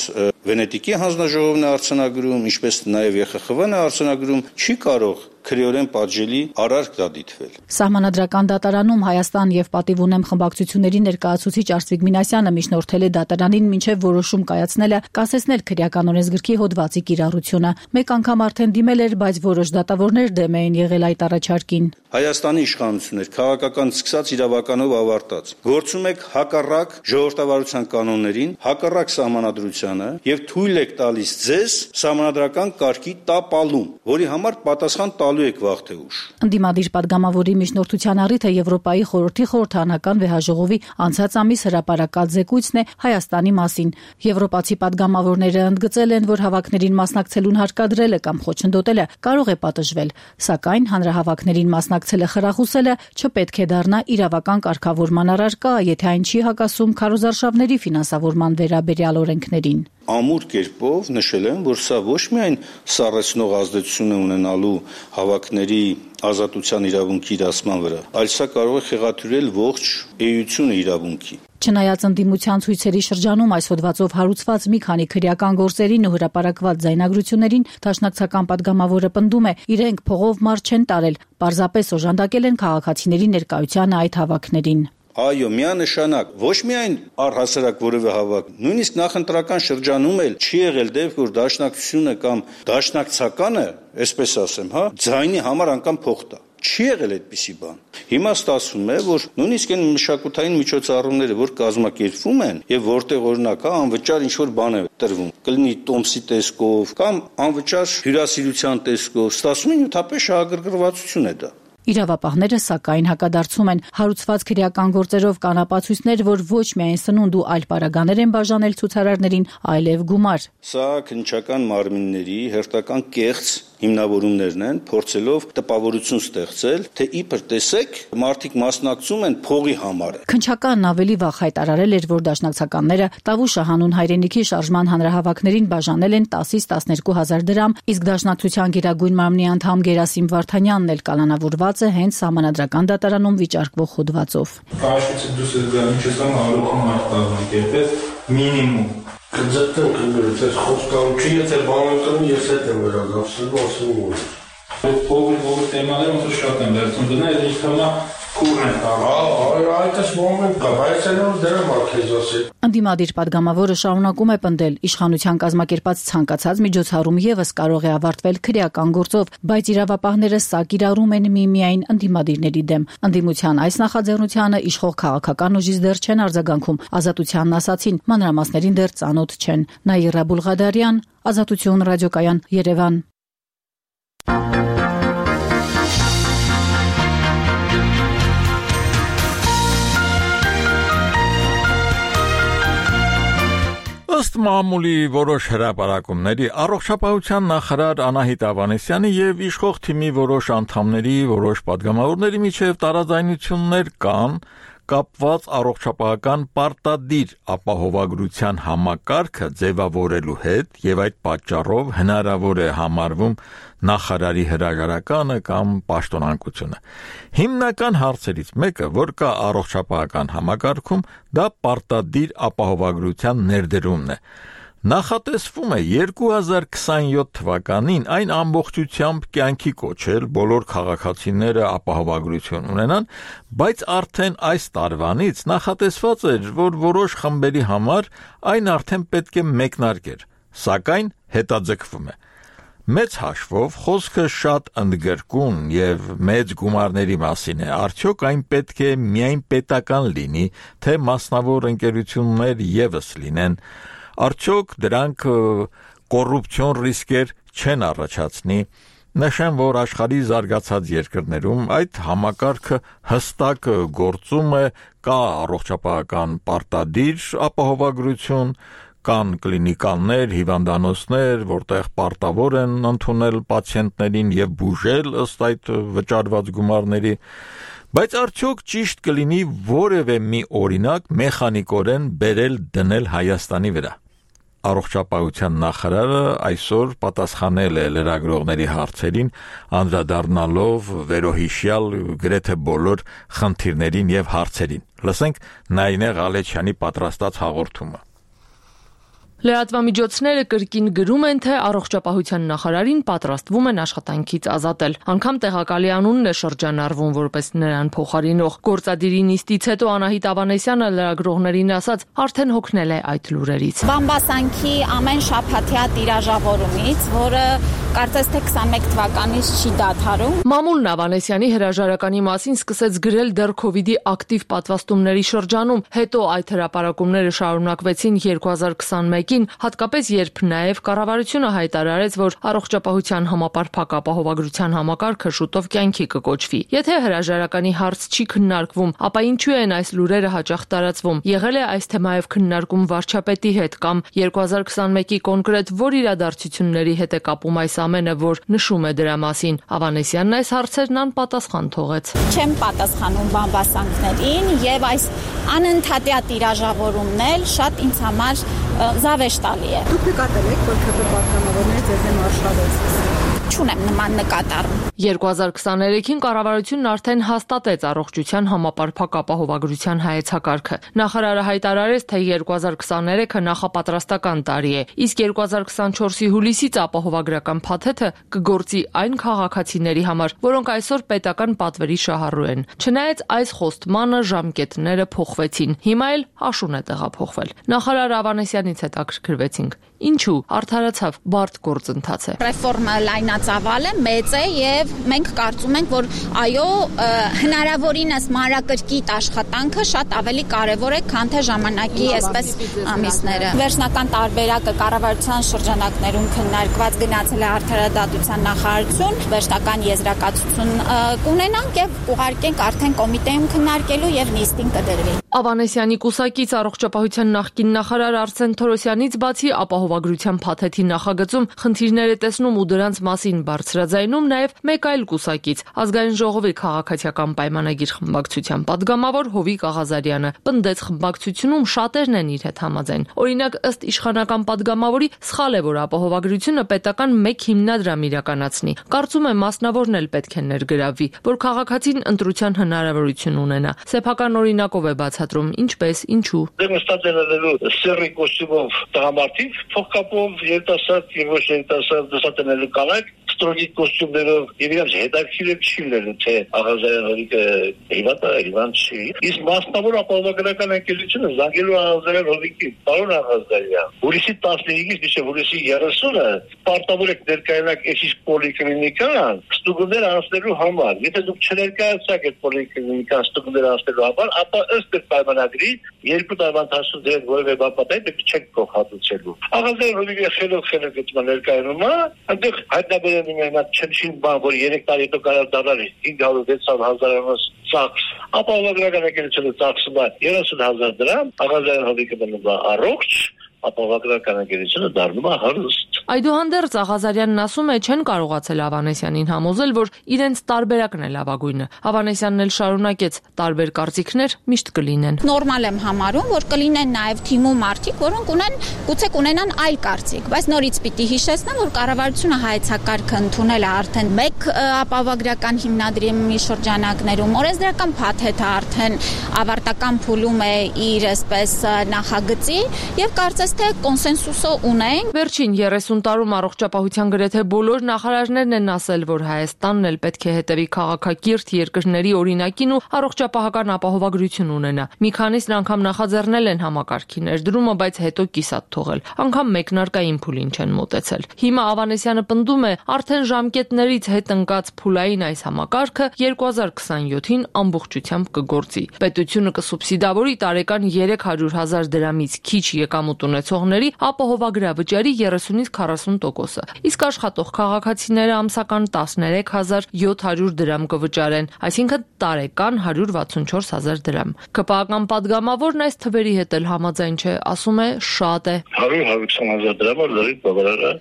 Վենետիկի հանձնաժողովն է արձանագրում, ինչպես նաեւ Ե Խ Խ V-ն է արձանագրում, չի կարող քրեորեն պատժելի արարք դա դիտվել։ Սահմանադրական դատարանում Հայաստան եւ Պատիվ ունեմ խմբակցությունների ներկայացուցիչ Արծվիկ Մինասյանը միջնորդել է դատարանին մինչեւ որոշում կայացնելը կասեցնել քրեական օրենսգրքի հոդվածի կիրառությունը։ Մեկ անգամ արդեն դիմել էր, բայց որոշ դատավորներ դեմ էին եղել այդ առաջարկին։ Հայաստանի իշխանություններ քաղաքական սկսած իրավականով ավարտած գործում եք հակառակ ժողովրդավարության կանոններին, հակառակ սահմանադրությանը եւ թույլ եք տալիս ձեզ սահմանադրական կարգի տապալում, որի համար պատասխան տալու եք վաղ թե ուշ։ Ընդդիմադիր պատգամավորի միջնորդության առիթը Եվրոպայի խորհրդի խորհրդարանական վեհաժողովի անցած ամիս հրապարակած զեկույցն է Հայաստանի մասին։ Եվրոպացի պատգամավորները ընդգծել են, որ հավաքներին մասնակցելուն հարկադրելը կամ խոչընդոտելը կարող է պատժվել, սակայն հանրահավաքներին մասնակցելը խրախուսելը չպետք է դառնա իրավական կարգավորման առարկա, եթե այն չի հակասում քարոզարշավների ֆինանսավորման վերաբերյալ օրենքներին։ Ամուր կերպով նշել են, որ սա ոչ միայն սառեցնող ազդեցություն է ունենալու հավաքների ազատության իրավունքի իրացման վրա, այլ սա կարող է խեղաթյուրել ողջ էությունը իրավունքի։ Չնայած ընդդիմության ցույցերի շրջանում այս հոդվածով հարուցված մի քանի քրեական գործերին ու հրապարակված ձայնագրություններին դաշնակցական պատգամավորը պնդում է, իրենք փողով մարդ չեն տարել, պարզապես օժանդակել են քաղաքացիների ներկայությանը այդ հավաքներին։ Այո, միանշանակ, ոչ միայն առհասարակ որևէ հավաք, նույնիսկ նախընտրական շրջանում էլ չի եղել դեպք, որ դաշնակցությունը կամ դաշնակցականը, այսպես ասեմ, հա, ձայնի համար անգամ փող տա։ Չի եղել այդպիսի բան։ Հիմա ստացվում է, որ նույնիսկ այն մշակութային միջոցառումները, որ կազմակերպվում են եւ որտեղ օրինակ հա անվճար ինչ-որ բան է տրվում, կլինի տոմսի տեսքով կամ անվճար հյուրասիրության տեսքով, ստացվում է նյութապես շահագրգռվածություն է դա։ Իրավապահները սակայն հակադարձում են հարուցված քրեական գործերով կան ապացույցներ, որ ոչ միայն սնունդ ու այլ պարագաներ են բաժանել ցուցարարներին, այլև գումար։ Սա քննչական մարմինների հերթական կեղծ հիմնավորումներն են, փորձելով տպավորություն ստեղծել, թե իբր տեսեք, մարդիկ մասնակցում են փողի համար։ Քննչականն ավելի վաղ հայտարարել էր, որ դաշնակցականները Տավուշը հանուն հայրենիքի շարժման հանրահավաքներին բաժանել են տասից տասներկու հազար դրամ, իսկ դաշնակցության գերագույն մարմնի անդամ Գերասիմ Վարդանյանն էլ կալանավորված է հենց Սահմանադրական դատարանում վիճարկվող հոդվածով։ Կարծես դուք գալու չես ամ հարուցում այդ կազմակերպել մինիմում Կձգտենք ընկերից, այս խոսքան չի, եթե բանան կրնի, ես հետ եմ վերադարձել, ասում ուր։ Ով թեմաները ոնց շատ են վերցնում դնել, ինձ թվում է քուրն է տալու։ Այդպես մոմենտ կա, բայց այլևս դրամ ա քեզ ասել։ Ընդդիմադիր падգամավորը շարունակում է պնդել, իշխանության կազմակերպած ցանկացած միջոցառում եւս կարող է ավարտվել քրեական գործով, բայց իրավապահները սա կիրառում են միմիայն ընդդիմադիրների դեմ։ Ընդդիմության այս նախաձեռնությանը իշխող քաղաքական ուժից դեռ չեն արձագանքում, Ազատությանն ասացին, մանրամասներին դեռ ծանոթ չեն։ Նաիրա Բուլղադարյան, Ազատություն ռադիոկայան, Երևան։ Ըստ մամուլի որոշ հրապարակումների առողջապահության նախարար Անահիտ Ավանեսյանի եւ իշխող թիմի որոշ անդամների, որոշ падգամավորների միջև տարաձայնություններ կան կապված առողջապահական պարտադիր ապահովագրության համակարգը ձևավորելու հետ եւ այդ պատճառով հնարավոր է համարվում նախարարի հրաժարականը կամ պաշտոնանկությունը։ Հիմնական հարցերից մեկը, որ կա առողջապահական համակարգում, դա պարտադիր ապահովագրության ներդրումն է։ Նախատեսվում է երկու հազար քսաներորդ թվականին այն ամբողջությամբ կյանքի կոչել, բոլոր քաղաքացիները ապահովագրություն ունենան, բայց արդեն այս տարվանից նախատեսված էր, որ որոշ խմբերի համար այն արդեն պետք է մեկնարկեր, սակայն հետաձգվում է։ Մեծ հաշվով խոսքը շատ ընդգրկուն եւ մեծ գումարների մասին է, արդյոք այն պետք է միայն պետական լինի, թե մասնավոր ընկերություններ եւս լինեն, արդյոք դրանք կոռուպցիոն ռիսկեր չեն առաջացնի։ Նշեմ, որ աշխարհի զարգացած երկրներում այդ համակարգը հստակ գործում է, կա առողջապահական պարտադիր ապահովագրություն, կան կլինիկաներ, հիվանդանոցներ, որտեղ պարտավոր են ընդունել պացիենտներին եւ բուժել ըստ այդ վճարված գումարների, բայց արդյոք ճիշտ կլինի որևէ մի օրինակ մեխանիկորեն բերել դնել Հայաստանի վրա։ Առողջապահության նախարարը այսօր պատասխանել է լրագրողների հարցերին, անդրադառնալով վերոհիշյալ գրեթե բոլոր խնդիրներին եւ հարցերին։ Լսենք Նայինե Ղալեչյանի պատրաստած հաղորդումը։ Լրատվամիջոցները կրկին գրում են, թե առողջապահության նախարարին պատրաստվում են աշխատանքից ազատել։ Անգամ տեղակալի անունն է շրջանառվում որպես նրան փոխարինող։ Գործադիրի նիստից հետո Անահիտ Ավանեսյանը լրագրողներին ասաց, արդեն հոգնել է այդ լուրերից։ Բամբասանքի ամեն շաբաթյա տիրաժավորումից, որը կարծես թե քսաներեք թվականից չի դադարում։ Մամուլն Ավանեսյանի հրաժարականի մասին սկսեց գրել դեռ քովիդի ակտիվ պատվաստումների շրջանում, հետո այդ հրապարակումները շարունակվեցին երկու հազար քսաներկին, հատկապես երբ նաև կառավարությունը հայտարարեց, որ առողջապահության համապարփակ ապահովագրության համակարգը շուտով կյանքի կկոչվի։ Եթե հրաժարականի հարց չի քննարկվում, ապա ինչու են այս լուրերը հաճախ տարածվում։ Եղել է այս թեմայով քննարկում վարչապետի հետ կամ երկու հազար քսաներկի կոնկրետ որ իրադարձությունների հետ է կապում այս ամենը, որ նշում է դրա մասին։ Ավանեսյանն այս հարցերն անպատասխան թողեց։ Չեմ պատասխանում բամբասանքներին եւ այս անընդհատյա տիրաժավորումն էլ շատ ինձ համար զավեշտալի է։ Դուք նկատել եք, որ ՔՊ պատգամավորները ձեզ դեմ արշավեցին։ Չունեմ նման նկատառում։ երկու հազար քսաներեքին կառավարությունն արդեն հաստատեց առողջության համապարփակ ապահովագրության հայեցակարգը։ Նախարարը հայտարարեց, թե երկու հազար քսաներեքը նախապատրաստական տարի է, իսկ երկու հազար քսանչորսի հուլիսից ապահովագրական փաթեթը կգործի այն քաղաքացիների համար, որոնք այսօր պետական պատվերի շահառու են։ Չնայած այս խոստմանը ժամկետները փոխվեցին, հիմա էլ աշուն է տեղափոխվել։ Նախարար Ավանեսյանից հետաքրքրվեցինք։ Ինչու արդարացավ բարդ գործընթաց է։ Ռեֆորմը լայնածավալ է, մեծ է եւ մենք կարծում ենք, որ այո, հնարավորինս մանրակրկիտ աշխատանքը շատ ավելի կարեւոր է, քան թե ժամանակի այսպես ամիսները։ Վերջնական տարբերակը կառավարության շրջանակներում քննարկված գնացել է արդարադատության նախարարություն, վերջնական եզրակացություն կունենանք եւ ուղարկենք արդեն կոմիտեում քննարկելու եւ նիստին կդրվի։ Ավանեսյանի կուսակից առողջապահության նախկին նախարար Արսեն Թորոսյանից բացի ապահովագրության փաթեթի նախագծում խնդիրներ է տեսնում ու դրանց մասին մասին բարձրաձայնում նաև մեկ այլ կուսակից՝ Ազգային ժողովի քաղաքացիական պայմանագիր խմբակցության պատգամավոր Հովիկ Աղազարյանը, պնդեց խմբակցությունում շատերն են իր հետ համաձայն։ Օրինակ, ըստ իշխանական պատգամավորի, սխալ է, որ ապահովագրությունը պետական մեկ հիմնադրամ իրականացնի։ Կարծում եմ, մասնավորն էլ պետք է ներգրավվի, որ քաղաքացին ընտրության հնարավորություն ունենա։ Սեփական օրինակով է բացատրում ինչպես, ինչու։ Դե նստած ելնելու սերի կոստյումով տղամարդիկ, փոխկապով երիտասարդ եւ ոչ երիտասարդ դասատենելու կանայք, ստրոգիկ կոստյումներով եւ իրենց հետաքրքիր չի լինելու, թե Աղազարյանը հիվանդ է, հիվանդ չի։ Իսկ մասնավոր ապահովագրական ընկերությունը զանգելու Աղազարյան Հովիկի, պարոն Աղազարյան, հուլիսի տասնհինգից մինչև հուլիսի երեսունը պարտավոր եք ներկայանալ այս պոլիկլինիկան ստուգումներ անցնելու համար։ Եթե դուք չներկայացաք այդ պոլիկլինիկան ստուգումներ անցնելու համար, ապա ըստ պայմանագրի երկու տարվա ընթացքում դեր որևէ բան պատահի, չեք փոխհատուցելու։ Աղազարյան Հովիկի խելոք խելոք այդ ներկայանում է, այնտեղ հայտնաբերել են այդ չնչին բան, որ երեք տարի հետո կարող դառնալ հինգ հարյուր վեցավ հազարամաս ծախս, ապահովագրական ընկերությունը ծախսում է երեսուն հազար դրամ, Աղազարյան Հովիկը մնում է առողջ, ապահովագրական ընկերությունը դառնում է հարուստ։ Այդուհանդերձ Աղազարյանն ասում է, չեն կարողացել Ավանեսյանին համոզել, որ իրենց տարբերակն է լավագույնը։ Ավանեսյանն էլ շարունակեց, տարբեր կարծիքներ միշտ կլինեն։ Նորմալ եմ համարում, որ կլինեն նաև թիմու մարդիկ, որոնք ունեն գուցե կունենան այլ կարծիք, բայց նորից պիտի հիշեցնեմ, որ կառավարությունը հայեցակարգը ընդունել է արդեն մեկ ապահովագրական հիմնադրամի շրջանակներում, օրենսդրական փաթեթը արդեն ավարտական փուլում է իր այսպես նախագծի եւ կարծես թե կոնսենսուսը ունեն։ Վերջին երեսուն տարում առողջապահության գրեթե բոլոր նախարարներն են ասել, որ Հայաստանն էլ պետք է հետևի քաղաքակիրթ երկրների օրինակին ու առողջապահական ապահովագրություն ունենա։ Մի քանիսն անգամ նախաձեռնել են համակարգի ներդրումը, բայց հետո կիսատ թողել։ Անգամ մեկնարկային փուլին չեն մոտեցել։ Հիմա Ավանեսյանը պնդում է, արդեն ժամկետներից հետ ընկած փուլային այս համակարգը երկու հազար քսանյոթին ամբողջությամբ կգործի։ Պետությունը կսուբսիդավորի տարեկան երեք հարյուր հազար դրամից քիչ եկամուտ ունեցողների ապահովագրավճարի երեսունից քառասուն տոկոսը, իսկ աշխատող քաղաքացիները ամսական տասներեք հազար յոթ հարյուր դրամ կվճարեն, այսինքն տարեկան հարյուր վաթսունչորս հազար դրամ։ ԿՊԱ-ական պատգամավորն այս թվերի հետ էլ համաձայն չէ, ասում է շատ է։ հարյուր հարյուր քսան հազար դրամը լրիվ բավարար է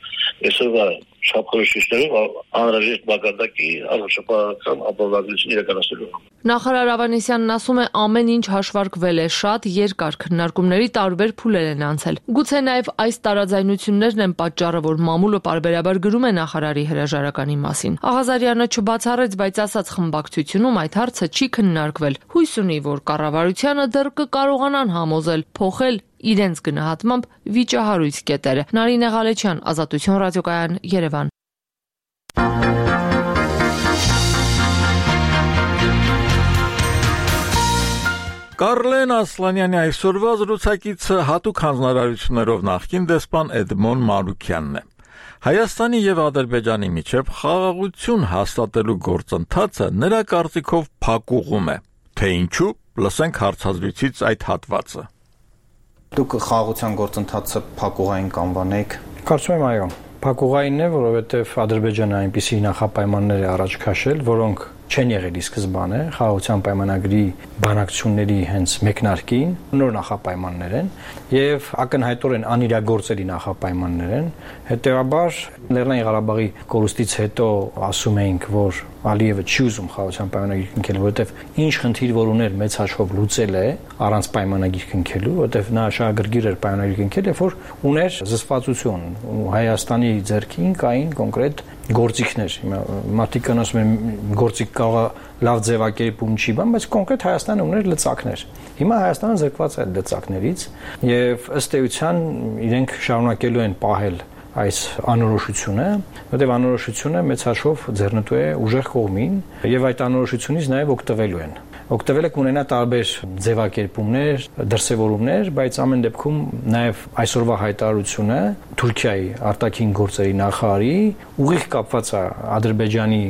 այսօրվա շապքորոշիչներով անհրաժեշտ մակարդակի առողջապահական ապահովագրություն իրականացնելու։ Նախարար Ավանեսյանն ասում է, ամեն ինչ հաշվարկվել է, շատ երկար քննարկումների տարբեր փուլեր են անցել։ Գուցե նաև այս տարաձայնություններն են պատճառը, որ մամուլը պարբերաբար գրում է նախարարի հրաժարականի մասին։ Աղազարյանը չբացառեց, բայց ասաց խմբակցությունում այդ հարցը չի քննարկվել։ Հույս ունի, որ կառավարությանը դեռ կկարողանան համոզել, փոխել իրենց գնահատմամբ վիճահարույց կետերը։ Նարինե Ղալեչյան, Ազատություն ռադիոկայան, Երևան։ Կարլեն Ասլանյանի այսօրվա զրուցակիցը հատուկ հանձնարարություններով նախկին դեսպան Էդմոն Մանուկյանն է։ Հայաստանի եւ Ադրբեջանի միջև խաղաղություն հաստատելու գործընթացը նրա կարծիքով փակուղում է։ Թե ինչու, լսենք հարցազրույցից այդ հատվածը։ Դուք խաղաղության գործընթացը փակուղային կանվանեք։ Կարծում եմ այո, փակուղային է, որովհետեւ Ադրբեջանը այնպիսի նախապայմաններ է առաջ քաշել, որոնք չեն եղել ի սկզբանե խաղաղության պայմանագրի բանակցությունների հենց մեկնարկին, նոր նախապայմաններ են եւ ակնհայտորեն անիրագործելի նախապայմաններ են։ Հետեւաբար Լեռնային Ղարաբաղի կորուստից հետո ասում էինք, որ Ալիևը չի ուզում խաղաղության պայմանագիր կնքել, որովհետեւ ինչ խնդիր որ ուներ մեծ հաշվով լուծել է առանց պայմանագիր կնքելու, որովհետեւ նա շահագրգիռ էր պայմանագիր կնքել, երբ որ ուներ զսպվածություն ու Հայաստանի ձեռքին կային կոնկրետ գործիքներ։ Մարդիկ ասում են գործիք կարող լավ ձևակերպում չի բան, բայց կոնկրետ Հայաստանը ուներ լծակներ։ Հիմա Հայաստանը զրկված է այդ լծակներից եւ ըստ էության իրենք շարունակելու են պահել այս անորոշությունը, որտեղ անորոշությունը մեծ հաշվով ձեռնտու է ուժեղ կողմին եւ այդ անորոշությունից նաեւ օգտվելու են։ Օգտվել եք ունենա տարբեր ձևակերպումներ, դրսևորումներ, բայց ամեն դեպքում նաև այսօրվա հայտարարությունը Թուրքիայի արտաքին գործերի նախարարի ուղիղ կապված է Ադրբեջանի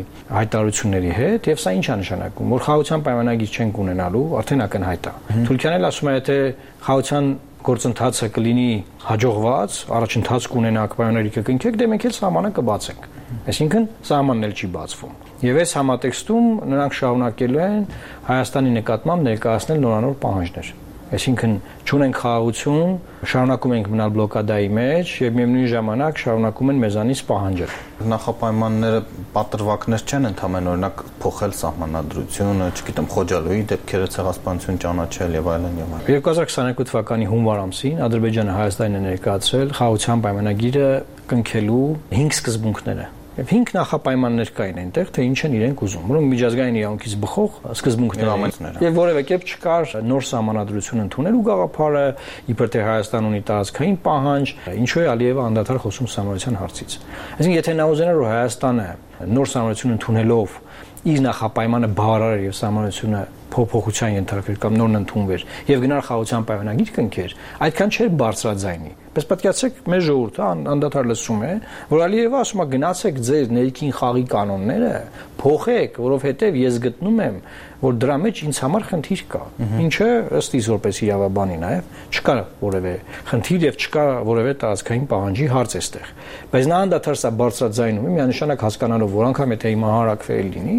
հայտարարությունների հետ եւ սա ինչ է նշանակում, որ խաղաղության պայմանագիր չենք ունենալու, արդեն ակնհայտ է։ Թուրքիան էլ ասում է, եթե խաղաղության գործընթացը կլինի հաջողված, առաջընթաց կունենաք, պայմանագիր կկնքեք, դե մենք էլ սահմանը կբացենք։ Այսինքն սահմանն էլ չի բացվում։ Եվ այս համատեքստում նրանք շարունակելու են Հայաստանի նկատմամբ ներկայացնել նորանոր պահանջներ։ Այսինքն չունենք խաղաղություն, շարունակում ենք մնալ բլոկադայի մեջ եւ միևնույն ժամանակ շարունակում են մեզանից պահանջել։ Նախապայմանները պատրվակներ չեն ընդհանրեն, օրինակ փոխել սահմանադրությունը, չգիտեմ, Խոջալոյի դեպքերը ցեղասպանություն ճանաչել եւ այլն եւ այլն։ երկու հազար քսաներկու թվականի հունվար ամսին Ադրբեջանը Հայաստանին է ներկայացրել խաղաղության պայմանագիրը կնքելու հինգ սկզբունքները։ Եվ հինգ նախապայմաններ կային այնտեղ, թե ինչ են իրենք ուզում, որոնք միջազգային իրավունքից բխող սկզբունքներ են։ Եվ որևէ կերպ չկար նոր սահմանադրություն ընդունելու գաղափարը, իբր թե Հայաստան ունի տարածքային պահանջ, ինչու է Ալիևը անդադար խոսում սահմանության հարցից։ Այսինքն, եթե նա ուզենար, որ Հայաստանը նոր սահմանություն ընդունելով իր նախապայմանը բավարար եւ սահմանությունը փոփոխության ենթարկվեր կամ նորն ընդունվեր եւ գնար խաղաղության պայմանագիր կնքեր, այդքան չէր բարձրաձայնի։ Պես պատկերացրեք, մեր ժողովուրդը անդադար լսում է, որ Ալիևը ասում է գնացեք ձեր ներքին խաղի կանոնները փոխեք, որովհետեւ ես գտնում եմ, որ դրա մեջ ինձ համար խնդիր կա։ Ինչը ըստ իս որպես իրավաբանի նաեւ չկա որևէ խնդիր եւ չկա որևէ տարածքային պահանջի հարց էստեղ։ Բայց նա անդադար սա բարձրաձայնում է, միանշանակ հասկանալով, որ անգամ եթե հիմա հարակվել լինի,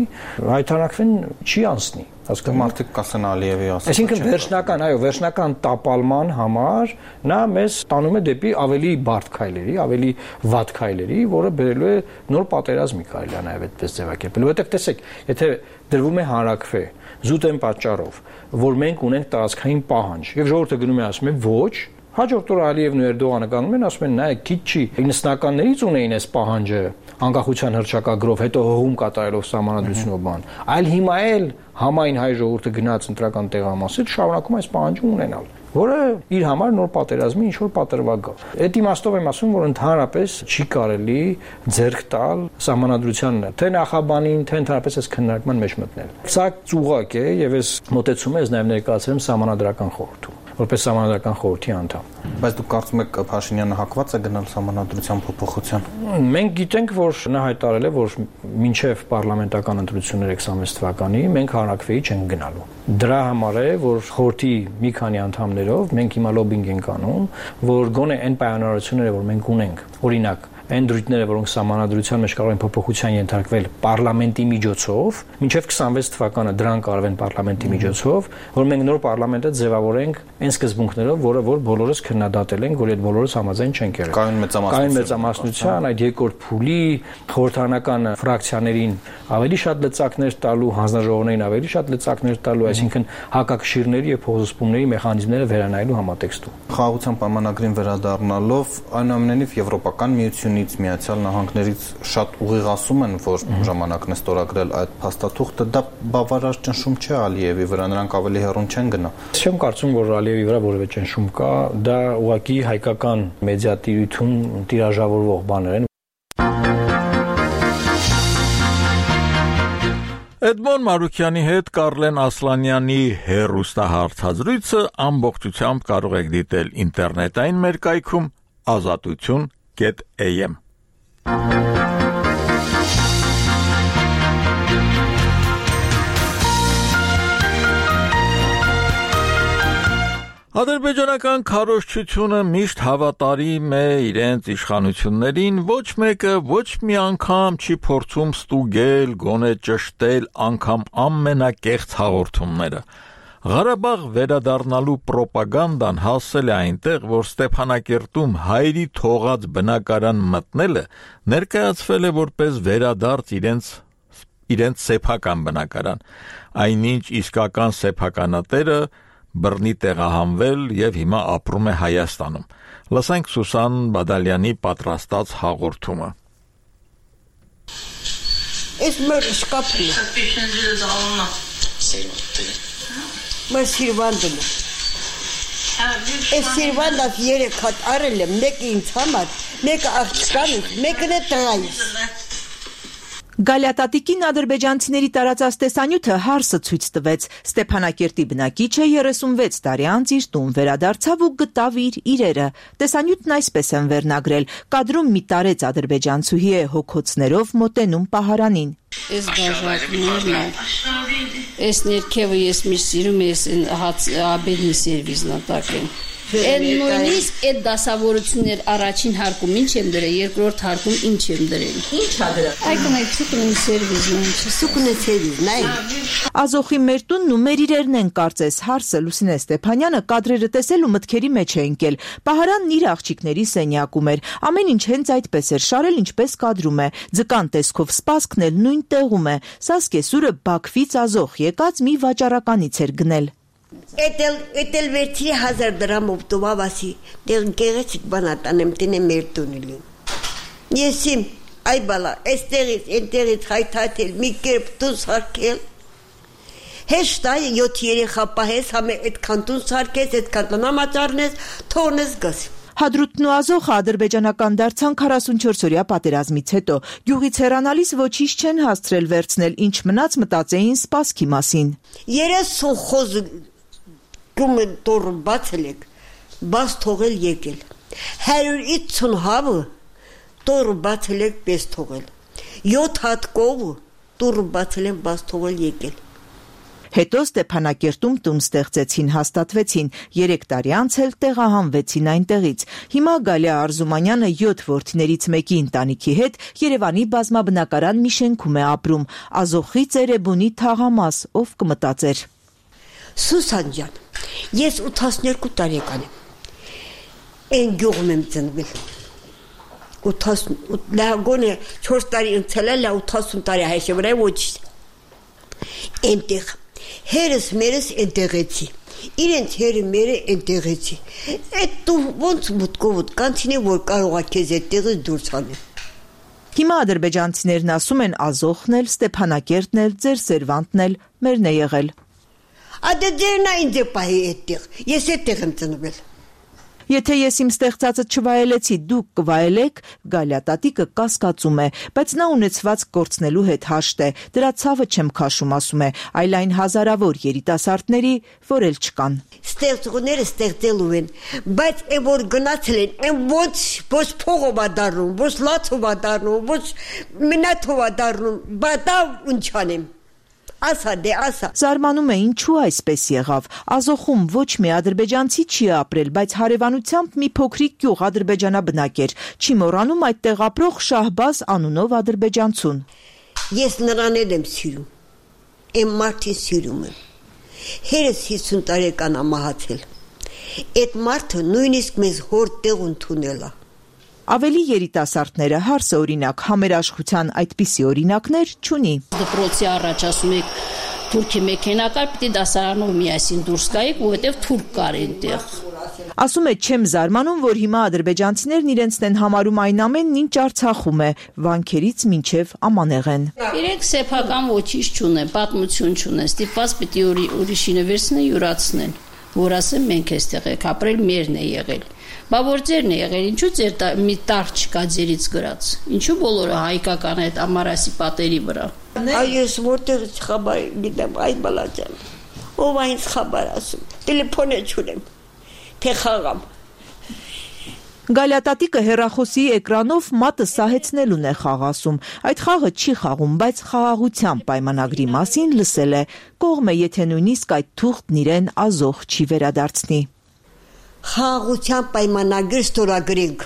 հայտարարքվեն չի անցնի։ Հասկանում մարդիկ կասեն Ալիևի ասած։ Այսինքն վերջնական, այո, վերջնական տապալման համար նա մեզ տանում է դեպի ավելի բարդ քայլերի, ավելի վատ քայլերի, որը բերելու է նոր պատերազմի կարելի է նաև այդպես ձևակերպել։ Որովհետև տեսեք, եթե դրվում է հանրակրվե զուտ այն պատճառով, որ մենք ունենք տարածքային պահանջ, եւ ժողովուրդը գնում է ասում է ոչ, հաջորդ օրը Ալիևն ու Էրդողանը կանգնում են ասում են նայեք, քիչ չի, ինքնասնականներից ունեին այս պահանջը անկախության հռչակագրով, հետո հողում կատարելով սահմանադրությունով բան, այլ հիմա էլ համայն հայ ժողովուրդը գնաց ընտրական տեղամասից շարունակում այս պահանջը ունենալ, որը իր համար նոր պատերազմի ինչ որ պատրվակ է։ Այդ իմաստով եմ ասում, որ ընդհանրապես չի կարելի ձեռք տալ սահմանադրության թե նախաբանին, թե ընդհանրապես այս քննարկման մեջ մտնել։ Սա ծուղակ է եւ այս մոտեցումը ես նաեւ ներկայացրեմ սահմանադրական խորհրդում որպես սահմանադրական խորհրդի անդամ։ Բայց դուք կարծում եք Փաշինյանը հակված է գնալ սահմանադրության փոփոխության։ Մենք գիտենք, որ նա հայտարարել է, որ մինչև պարլամենտական ընտրությունները քսանվեց թվականի մենք հանրակրվեի չենք գնալու։ Դրա համար է, որ խորհրդի մի քանի անդամներով մենք հիմա լոբինգ ենք անում, որ գոնե այն պայմանավորությունները, որ մենք ունենք, օրինակ այն դրույթները, որոնք սահմանադրության մեջ կարող են փոփոխության ենթարկվել պարլամենտի միջոցով, մինչև քսանվեց թվականը դրան կարվեն պարլամենտի միջոցով, որ մենք նոր պարլամենտը ձևավորենք այն սկզբունքներով, որը որ բոլորս քննադատել ենք, որ այդ բոլորս համաձայն չենք եղել։ Կայուն մեծամասնություն, կայուն մեծամասնության, այդ երկրորդ փուլի խորհրդարանական ֆրակցիաներին ավելի շատ լծակներ տալու, հանձնաժողովներին ավելի շատ լծակներ տալու, այսինքն հակակշիռների եւ փոխզսպումների մեխանիզմները վերանայելու համատեքստում։ Խաղաղության պայմանագրին վերադառնալով, այնուամենայնիվ Եվրոպական միություն Միացյալ Նահանգներից շատ ուղիղ են, որ ժամանակն է ստորագրել այդ փաստաթուղթը, դա բավարար ճնշում չէ Ալիևի վրա, նրանք ավելի հեռուն չեն գնա։ Չեմ կարծում, որ Ալիևի վրա որևէ ճնշում կա, դա ուղղակի հայկական մեդիատիրույթում տիրաժավորվող բաներ են։ Էդմոն Մարուկյանի հետ Կարլեն Ասլանյանի հեռուստահաղորդազրույցը ամբողջությամբ կարող եք դիտել ինտերնետային մեր կայքում ազատություն Get A M Ադրբեջանական քարոզչությունը միշտ հավատարիմ է իրենց իշխանություններին, ոչ մեկը ոչ մի անգամ չի փորձում ստուգել, գոնե ճշտել անգամ ամենակեղծ հաղորդումները։ Ղարաբաղ վերադառնալու պրոպագանդան հասել է այնտեղ, որ Ստեփանակերտում հայերի թողած բնակարան մտնելը ներկայացվել է որպես վերադարձ իրենց իրենց սեփական բնակարան, այնինչ իսկական սեփականատերը բռնի տեղահանվել եւ հիմա ապրում է Հայաստանում։ Լսենք Սուսան Բադալյանի պատրաստած հաղորդումը։ Ես մեր շկապն Ես սիրվանդում եմ։ Ես սիրվանդով երեք հատ արել եմ, մեկը ինձ համար, մեկը աղջկանից, մեկն է տղայիս։ Գալյատատիկին ադրբեջանցիների տարածած տեսանյութը հարսը ցույց տվեց։ Ստեփանակերտի բնակիչը երեսունվեց տարի անց իր տուն վերադարձավ ու գտավ իր իրերը։ Տեսանյութն այսպես են վերնագրել. կադրում մի տարեց ադրբեջանցուհի է հոգոցներով մոտենում պահարանին։ Ես գաժակներն եմ։ Ես ներքևը ես միշտ սիրում ես հաց աբեդնի սերվիզն ատակեն։ Այդ նույնիսկ այդ դասավորություններ առաջին հարկում ինչ եմ դրել, երկրորդ հարկում ինչ եմ դրել։ Ինչ ա դրել։ Այգում այդ սուկնի սերվիզն է, սուկնի սերվիզն է։ Ազոխի մեր տունն ու մեր իրերն են կարծես հարսը Լուսինե Ստեփանյանը կադրերը տեսել ու մտքերի մեջ է ընկել։ Պահարանն իր աղջիկների սենյակում էր։ Ամեն ինչ հենց այդպես էր շարել, ինչպես կադրում է։ Ձկան տեսքով սպասքն էլ նույն տեղում է։ Սա սկեսուրը Բաքվից Ազոխ եկած մի վաճառականից էր գնել։ Էտել էտել վերցի հազար դրամով տուավասի դեր գեղեցիկ բանատանեմ տնե մեր տունելի։ Եսիմ այ բալա էստերից էնտերից հայթաթել մի կերպ տուն սարքել։ Հեշտա յոթ երեխա պահես համե այդքան տուն սարքես այդքան տնամաճարնես թողնես գաս։ Հադրութն ու Ազոխը ադրբեջանական դարձան քառասունչորս-օրյա պատերազմից հետո։ Գյուղից հեռանալիս ոչինչ չեն հասցրել վերցնել, ինչ մնաց մտածեին սպասքի մասին։ երեսուն խոզ գումը դոր բացելեք, բաց թողել եկել։ հարյուր ութսուն հավը դոր բացելեք պես թողել։ յոթ հատ կով դոր բացելեն բաց թողել եկել։ Հետո Ստեփանակերտում տուն ստեղծեցին, հաստատվեցին, երեք տարի անց էլ տեղահանվեցին այնտեղից։ Հիմա Գալիա Արզումանյանը յոթ որդիներից մեկի ընտանիքի հետ Երևանի բազմաբնակարան մի շենքում է ապրում։ Ազոխի Ծերեբունի թաղամաս, ով կմտածեր։ Սուսան ջան, ես ութասուներկու տարեկան եմ։ Այն գյուղում եմ ծնվել։ Լագոնը չորս տարի ընցել է, ութասուն տարի հայշեվրայ ոչ։ Այնտեղ հերս մերս այնտեղեցի, իրենց հերը մերը այնտեղեցի, այդ դու ոնց մուտքով կանցինի, որ կարողա քեզ այդտեղից դուրս հանել։ Հիմա ադրբեջանցիներն ասում են Ազոխն էլ, Ստեփանակերտն էլ, ձեր Սերվանտն էլ մերն է եղել։ Ադե ձերն է ինձ է պահի այդտեղ, ես այդտեղ եմ ծնվել։ Եթե ես իմ ստեղծածը չվայելեցի, դուք կվայելեք, Գալիա տատիկը կասկածում է, բայց նա ունեցված կորցնելու հետ հաշտ է, դրա ցավը չեմ քաշում, ասում է, այլ այն հազարավոր երիտասարդների, որ էլ չկան։ Ստեղծողները ստեղծելու են, բայց այն որ գնացել են, այն ոչ ոչ փողով է դառնում, ոչ լացով է դառնում, ոչ մնաթով է դառնում, բատա ունչանեմ։ Ասա դե ասա։ Զարմանում է ինչու այսպես եղավ։ Ազոխում ոչ մի ադրբեջանցի չի ապրել, բայց հարևանությամբ մի փոքրիկ գյուղ ադրբեջանաբնակ էր։ Չի մոռանում այդտեղ ապրող Շահբազ անունով ադրբեջանցուն։ Ես նրան եմ սիրում։ Եմ մարդին սիրում եմ։ Հերս հիսուն տարեկան ամահացել։ Այդ մարդը նույնիսկ մեզ հոր տեղ ընդունել է։ Ավելի երիտասարդները հարսը օրինակ համերաշխության այդպիսի օրինակներ չունի։ Դպրոցի առաջ ասում եք թուրքի մեքենա կար, պիտի դասարանով միասին դուրս գայիք, որովհետև թուրք կար այնտեղ։ Ասում է չեմ զարմանում, որ հիմա ադրբեջանցիներն իրենցն են համարում այն ամենն, ինչ Արցախում է, վանքերից մինչև Ամանեղեն։ Իրենք սեփական ոչինչ չունեն, պատմություն չունեն, ստիպված պիտի ուրիշինը վերցնեն, յուրացնեն, որ ասեն մենք էստեղ եք ապրել, մերն է եղել։ Բա որ ձերն է եղել, ինչու ձեր մի տար չկա ձերից գրած։ Ինչու բոլորը հայկական այդ ամարասի պատերի վրա։ Այ ես որտեղից խաբար գիտեմ, այդ բալաջան։ Ով այնց խաբար ասում։ Տելեֆոնը չունեմ։ Թե խաղամ։ Գալիա տատիկը հեռախոսի էկրանով մատը սահեցնելուն է խաղ ասում։ Այդ խաղը չի խաղում, բայց խաղաղության պայմանագրի մասին լսել է։ Կողմ է, եթե նույնիսկ այդ թուղթն իրեն Ազոխ չի վերադարձնի։ Խաղաղության պայմանագիր ստորագրենք,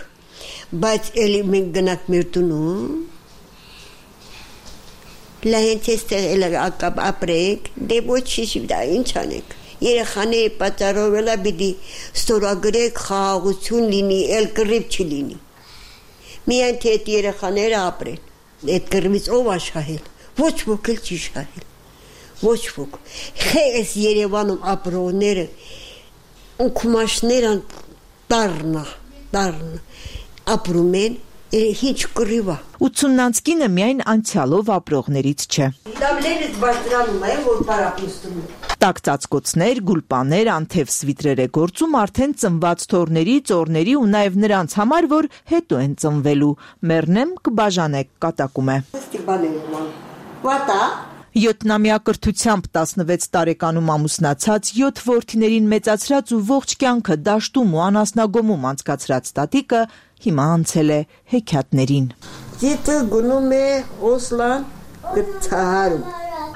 բայց էլի մենք գնանք մեր տունում, լահենց էստեղ էլ ապրենք, դե ոչինչ դա ինչ անենք։ Երեխաների պատճառով էլ պիտի ստորագրենք խաղաղություն լինի, էլ կռիվ չլինի։ Միայն թե այդ երեխաները ապրեն, այդ կռիվից ով ա շահել, ոչ ոք էլ չի շահել, ոչ ոք։ Այս Երևանում ապրողները Անկումաշներն դառնա, դառնա, ապրում են, ինչ կռիվա։ ութսուննանց կինը միայն անցյալով ապրողներից չէ։ Դամլերից բարձրանում է, որ պարապուստում է։ Տակ ծածկոցներ, գուլպաներ, անթև սվիտրեր է գործում արդեն ծնված թորների, ծորների ու նաև նրանց համար, որ հետո են ծնվելու։ Մեռնեմ կբաժանեք, կատակում է։ Վատա Յոթնամյա կրթությամբ տասնվեց տարեկանում ամուսնացած, յոթ որդիներին մեծացրած ու ողջ կյանքը դաշտում ու անասնագոմում անցկացրած տատիկը հիմա անցել է հեքիաթներին։ Դիտը գնում է Օսլան գծահարում։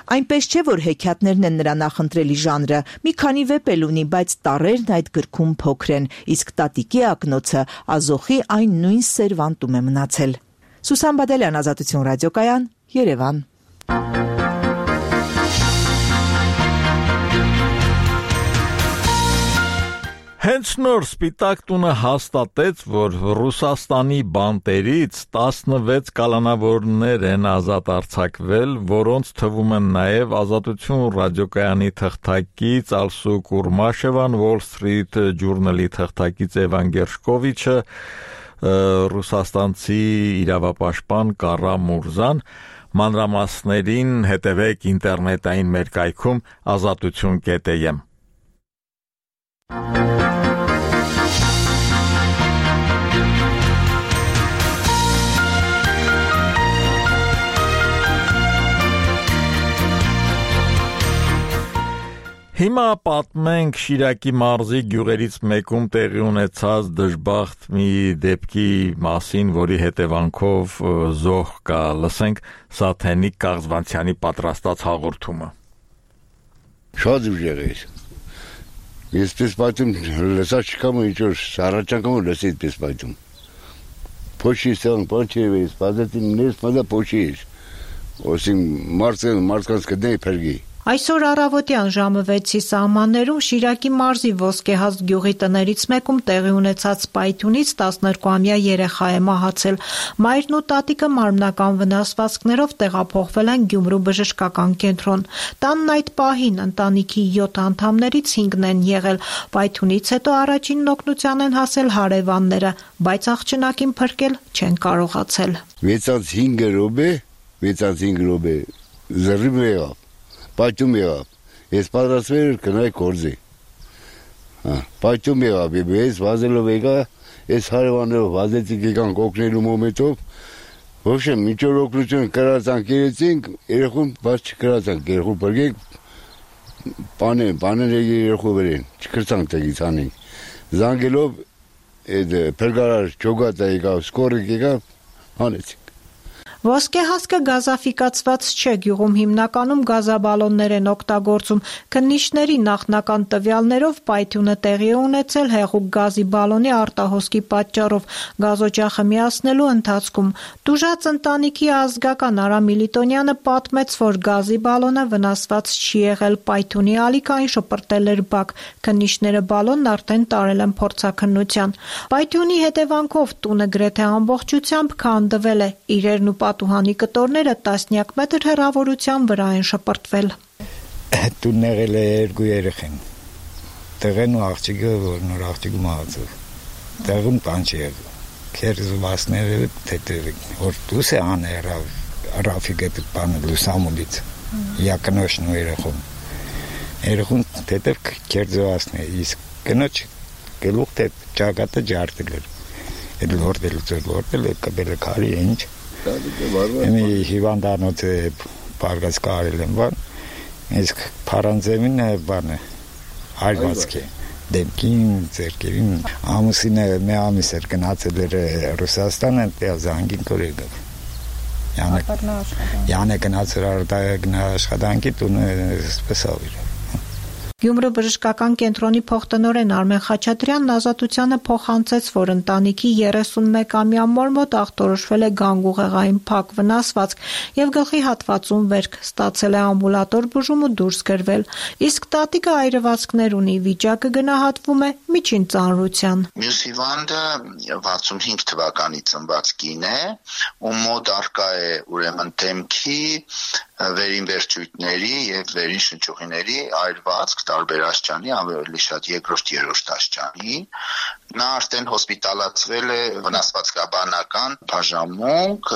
Այնպես չէ, որ հեքիաթներն են նրա նախընտրելի ժանրը։ Մի քանի վեպ էլ ունի, բայց տառերն այդ գրքում փոքր են, իսկ տատիկի ակնոցը Ազոխի այն նույն սերվանտում է մնացել։ Սուսան Բադալյան, Ազատություն ռադիոկայան, Երևան։ Հենց նոր Սպիտակ տունը հաստատեց, որ Ռուսաստանի բանտերից տասնվեց կալանավորներ են ազատ արձակվել, որոնց թվում են նաև Ազատություն ռադիոկայանի թղթակից Ալսու Կուրմաշևան, Wall Street Journal-ի թղթակից Էվան Գերշկովիչը, ռուսաստանցի իրավապաշտպան Կարա Մուրզան։ Մանրամասներին հետևեք ինտերնետային մեր կայքում ազատություն կետ եմ։ Հիմա պատմենք Շիրակի մարզի գյուղերից մեկում տեղի ունեցած դժբախտ մի դեպքի մասին, որի հետևանքով զոհ կա։ Լսենք Սաթենիկ Կաղզվանցյանի պատրաստած հաղորդումը։ Շատ ուժեղ է։ Այսպես պատում լսած չկամ ինչ որ առաջարկում լսի այսպես պատում։ Փոշի սան փոչի սպազեցին նես մոդա փոշի։ Osím մարզը մարզկանց կդնի փրկի։ Այսօր առավոտյան ժամը վեցի սահմաններում Շիրակի մարզի Ոսկեհաց գյուղի տներից մեկում տեղի ունեցած պայթյունից տասներկուամյա երեխա է մահացել։ Մայրն ու տատիկը մարմնական վնասվածքներով տեղափոխվել են Գյումրու բժշկական կենտրոն։ Տանն այդ պահին ընտանիքի յոթ անդամներից հինգն են եղել։ Պայթյունից հետո առաջին օգնության են հասել հարևանները, բայց աղջնակին փրկել չեն կարողացել։ վեցից հինգ րոպե, վեցից հինգ րոպե զրիվ եղավ։ Պայթյուն եղավ, ես պատրաստվել կնայի կորձի, պայթյուն եղավ, ես վազելով եկա, ես հարևաններով վազեցինք եկան կոկնելու մոմետով, ոչեմ, միջոր օգնություն կրացանք երեցինք, երեխուն բաց չկրացանք, երեխուն պրգենք, պանեն, պանեն երեխու վերեն, չկրցանք տեղից անենք, զանգելով, պրգարար ճոգատա եկավ, սկորիկ եկավ, հանեցինք։ Ոսկեհասկը գազաֆիկացված չէ, գյուղում հիմնականում գազաբալոններ են օգտագործում։ Քննիչների նախնական տվյալներով պայթյունը տեղի է ունեցել հեղուկ գազի բալոնի արտահոսքի պատճառով գազօջախը միացնելու ընթացքում։ Տուժած ընտանիքի ազգական Արա Միլիտոնյանը պատմեց, որ գազի բալոնը վնասված չի եղել, պայթյունի ալիքային շպրտել էր բակ։ Քննիչները բալոնն արդեն տարել են փորձաքննության։ Պայթյունի հետևանքով տունը գրեթե ամբողջությամբ քանդվել է, իրերն ու պատուհանի կտորները տասնյակ մետր հեռավորության վրա են շպրտվել։ Տունն եղել է երկու երեխան։ Տեղն ու աղջիկը, որ նոր աղջիկը մահացավ։ Տեղում բան չի եղել։ Քերզվածները թեթև, որ դուս է աներավ, Ռաֆիկը բանը լուսամուլից։ Յակնոշն ու երեխուն։ Երեխուն թեթև քերզվածներ, իսկ կնոջ գլուխ թե ճակատը ջարդել։ Այդ լորդել լորդել կբել քարի ինչ։ Եմի հիվանդանոց բարգած կարել եմ բան, իսկ պարանձեմին բան է, այրվածք է, դեմքին, ձերքերին, ամուսինը մի ամիս էր գնացել էր Ռուսաստան, այնտեղ զանգին կորեգավ, յանը գնացել աշխատանքի տունը սպեսավ իր։ Գյումրու բժշկական կենտրոնի փոխտնօրեն Արմեն Խաչատրյանն Ազատությանը փոխանցեց, որ ընտանիքի երեսունմեկամյա մոր մոտ ախտորոշվել է գանգուղեղային փակ վնասվածք եւ գլխի հատվածում վերք, ստացել է ամբուլատոր բուժում ու դուրս գրվել, իսկ տատիկը այրվածքներ ունի, վիճակը գնահատվում է միջին ծանրության։ Մյուս հիվանդը վաթսունհինգ թվականի ծնված կին է, ում մոտ արկա է ուրեմն դեմքի, վերին վերջույթների եւ վերին շնչուղիների այրվածք տարբեր աստիճանի, ավելի շատ երկրորդ երրորդ աստիճանի։ Նա արդեն հոսպիտալացվել է վնասվածքաբանական բաժանմունք,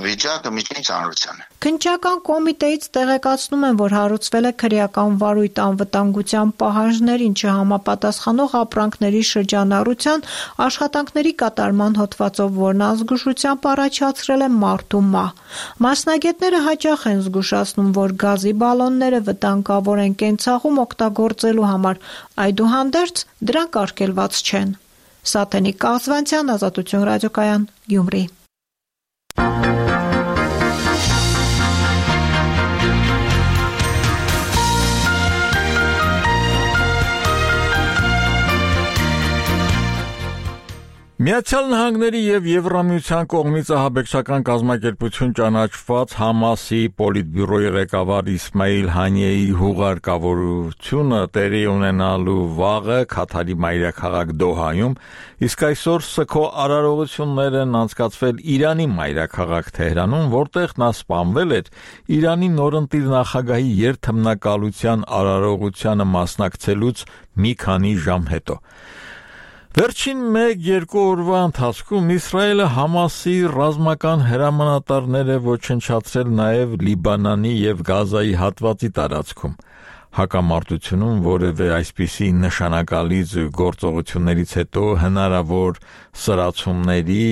վիճակը միջին ծանրության է։ Քննչական կոմիտեից տեղեկացնում են, որ հարուցվել է քրեական վարույթ անվտանգության պահանջներին չհամապատասխանող ապրանքների շրջանառության աշխատանքների կատարման հոդվածով, որն ազգուշությամբ առաջացրել է մարդու մահ։ Մասնագետները հաճախ են զգուշացնում, որ գազի բալոնները վտանգավոր են կենցաղում օգտագործելու համար, այդուհանդերձ դրանք արգելված չեն։ Սաթենիկ Կաղզվանցյան, Ազատություն ռադիոկայան, Գյումրի։ Միացյալ Նահանգների եւ Եվրամիության կողմից ահաբեկչական կազմակերպություն ճանաչված Համասի պոլիտբյուրոյի ղեկավար Իսմայիլ Հանիեի հուղարկավորությունը տեղի ունենալու վաղը Քաթարի մայրաքաղաք Դոհայում, իսկ այսօր սգո արարողություններ են անցկացվել Իրանի մայրաքաղաք Թեհրանում, որտեղ նա սպանվել էր Իրանի նորընտիր նախագահի երթմնակալության արարողությանը մասնակցելուց մի քանի ժամ հետո։ Վերջին մեկ-երկու օրվա ընթացքում Իսրայելը Համասի ռազմական հրամանատարներ է ոչնչացրել նաև Լիբանանի եւ Գազայի հատվածի տարածքում։ Հակամարտությունում որևէ այսպիսի նշանակալից գործողություններից հետո հնարավոր սրացումների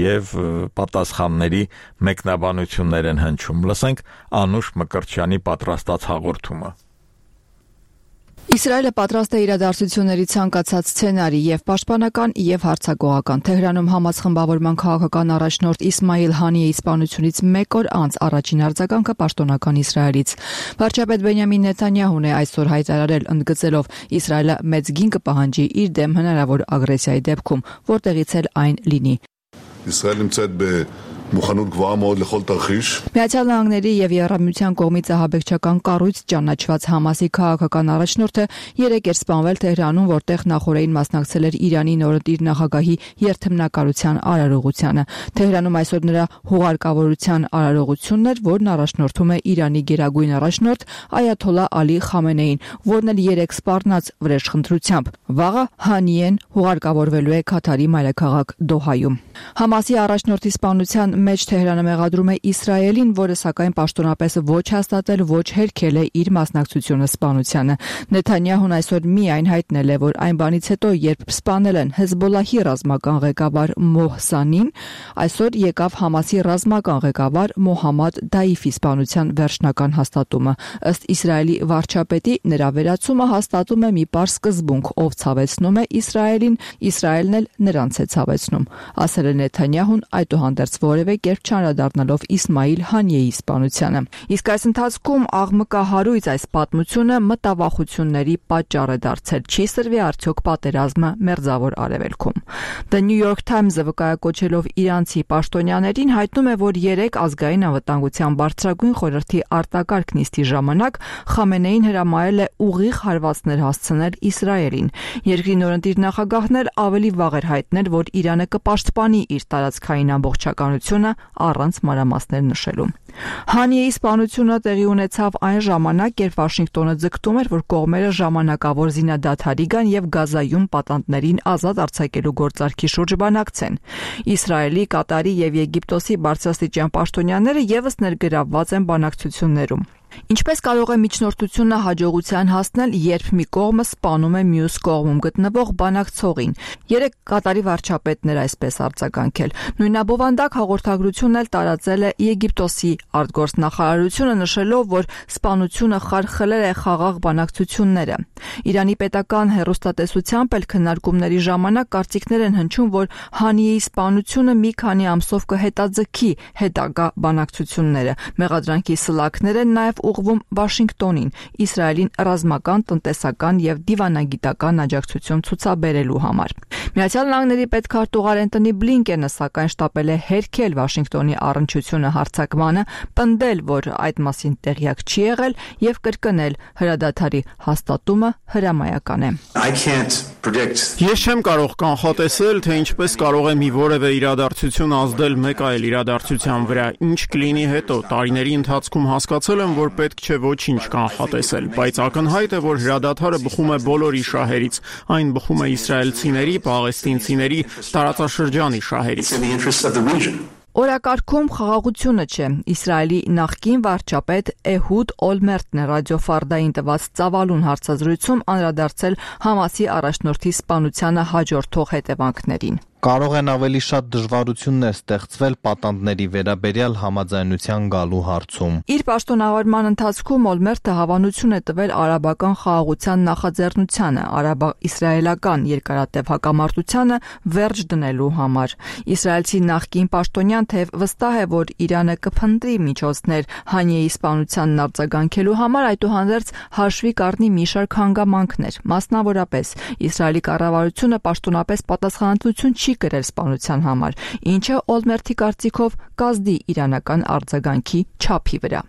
եւ պատասխանների մեկնաբանություններ են հնչում։ Լսենք Անուշ Մկրտչյանի պատրաստած հաղորդումը։ Իսրայելը պատրաստ է իրադարձությունների ցանկացած սցենարի եւ պաշտպանական եւ հարձակողական։ Թեհրանում Համաս խմբավորման քաղաքական առաջնորդ Իսմայիլ Հանիեի սպանությունից մեկ օր անց առաջին արձագանքը պաշտոնական Իսրայելից։ Վարչապետ Բենյամին Նեթանյահուն է այսօր հայտարարել, ընդգծելով Իսրայելը մեծ գին կպահանջի իր դեմ հնարավոր ագրեսիայի դեպքում, որտեղից էլ այն լինի։ Իսրայելը նמצאת մուխանութ գվահ מאוד לכל תרחיש. Միացյալ Նահանգների եւ Եվրամիության կողմից ահաբեկչական կառույց ճանաչված Համասի քաղաքական առաջնորդը երեկ էր սպանվել Թեհրանում, որտեղ նախորդին մասնակցել էր Իրանի նորընտիր նախագահի երթմնակալության արարողությանը։ Թեհրանում այսօր նրա հուղարկավորության արարողությունն էր, որն առաջնորդում է Իրանի գերագույն առաջնորդ Այաթոլլա Ալի Խամենեին, որն էլ երեկ սպառնաց վրեժխնդրությամբ։ Վաղը Հանիեն հուղարկավորվելու է Քաթարի մայրաքաղաք Դոհայում։ Համասի առաջնորդի սպանության մեջ Թեհրանը մեղադրում է Իսրայելին, որը սակայն պաշտոնապես ոչ հաստատել, ոչ հերքել է իր մասնակցությունը սպանությանը։ Նեթանյահուն այսօր միայն հայտնել է, որ այն բանից հետո, երբ սպանել են Հեզբոլլահի ռազմական ղեկավար Մոհսանին, այսօր եկավ Համասի ռազմական ղեկավար Մոհամմադ Դայիֆի սպանության վերջնական հաստատումը։ Ըստ Իսրայելի վարչապետի, նրա վերացումը հաստատում է մի պարզ սկզբունք, ով ցավեցնում է Իսրայելին, Իսրայելն էլ նրանց է ցավեցնում, ասել է Նեթանյահուն, այդուհանդերձ որևէ կերպ չանդրադառնալով Իսմայիլ Հանիեի սպանությանը։ Իսկ այս ընթացքում աղմկահարույց այս պատմությունը մտավախությունների պատճառ է դարձել։ Չի սրվի արդյոք պատերազմը Մերձավոր Արևելքում։ The New York Times-ը վկայակոչելով իրանցի պաշտոնյաներին հայտնում է, որ երեք ազգային անվտանգության բարձրագույն խորհրդի արտակարգ նիստի ժամանակ Խամենեին հրամայել է ուղիղ հարվածներ հասցնել Իսրայելին։ Երկրի նորընտիր նախագահն էլ ավելի վաղ էր հայտնել, որ Իրանը կպաշտպանի իր տարածքային ամբողջականությունը առանց մանրամասներ նշելու։ Հանիեի սպանությունը տեղի ունեցավ այն ժամանակ, երբ Վաշինգտոնը ձգտում էր, որ կողմերը ժամանակավոր զինադադարի գան եւ Գազայում պատանդներին ազատ արձակելու գործարքի շուրջ բանակցեն։ Իսրայելի, Կատարի եւ Եգիպտոսի բարձրաստիճան պաշտոնյաները եւս ներգրավված են բանակցություններում։ Ինչպես կարող է միջնորդությունը հաջողության հասնել, երբ մի կողմը սպանում է մյուս կողմում գտնվող բանակցողին։ Երեք Կատարի վարչապետն էր այսպես արձագանքել։ Նույնաբովանդակ հաղորդագրությունն էլ տարածել է Եգիպտոսի արտգործնախարարությունը, նշելով, որ սպանությունը խարխլել է խաղաղ բանակցությունները։ Իրանի պետական հեռուստատեսությամբ էլ քննարկումների ժամանակ կարծիքներ են հնչում, որ Հանիեի սպանությունը մի քանի ամսով կհետաձգի հետագա բանակցությունները։ Մեղադրանքի սլաքներ են նաև ուղղվում Վաշինգտոնին, Իսրայելին ռազմական, տնտեսական եւ դիվանագիտական աջակցություն ցուցաբերելու համար։ Միացյալ Նահանգների պետքարտուղար Էնթոնի Բլինկենը սակայն շտապել է հերքել Վաշինգտոնի առնչությունը հարձակմանը, պնդել, որ այդ մասին տեղյակ չի եղել եւ կրկնել հրադադարի հաստատումը հրամայական է։ Ես չեմ կարող կանխատեսել, թե ինչպես կարող է մի որևէ իրադարձություն ազդել մեկ այլ իրադարձության վրա։ Ինչ կլինի հետո, տարիների ընթացքում հասկացել եմ, որ պետք չէ ոչինչ կանխատեսել, բայց ակնհայտ է, որ հրադադարը բխում է բոլորի շահերից, այն բխում է իսրայելցիների, պաղեստինցիների, տարածաշրջանի շահերից։ Օրակարգում խաղաղությունը չէ։ Իսրայելի նախկին վարչապետ Էհուդ Օլմերտն է ռադիոֆարդային տված ծավալուն հարցազրույցում անդրադարձել Համասի առաջնորդի սպանությանը հաջորդող հետևանքներին։ Կարող են ավելի շատ դժվարություններ ստեղծվել պատանդների վերաբերյալ համաձայնության գալու հարցում։ Իր պաշտոնավարման ընթացքում Օլմերտը հավանություն է տվել արաբական խաղաղության նախաձեռնությանը, արաբա-իսրայելական երկարատև հակամարտությանը վերջ դնելու համար։ Իսրայելցի նախկին պաշտոնյան թեև վստահ է, որ Իրանը կփնտրի միջոցներ Հանիեի սպանությանն արձագանքելու համար, այդուհանդերձ հաշվի կառնի մի շարք հանգամանքներ, մասնավորապես Իսրայելի կառավարությունը պաշտոնապես պատասխանատվություն չի չի կրել սպանության համար, ինչը Օլմերթի կարծիքով կազդի իրանական արձագանքի չափի վրա։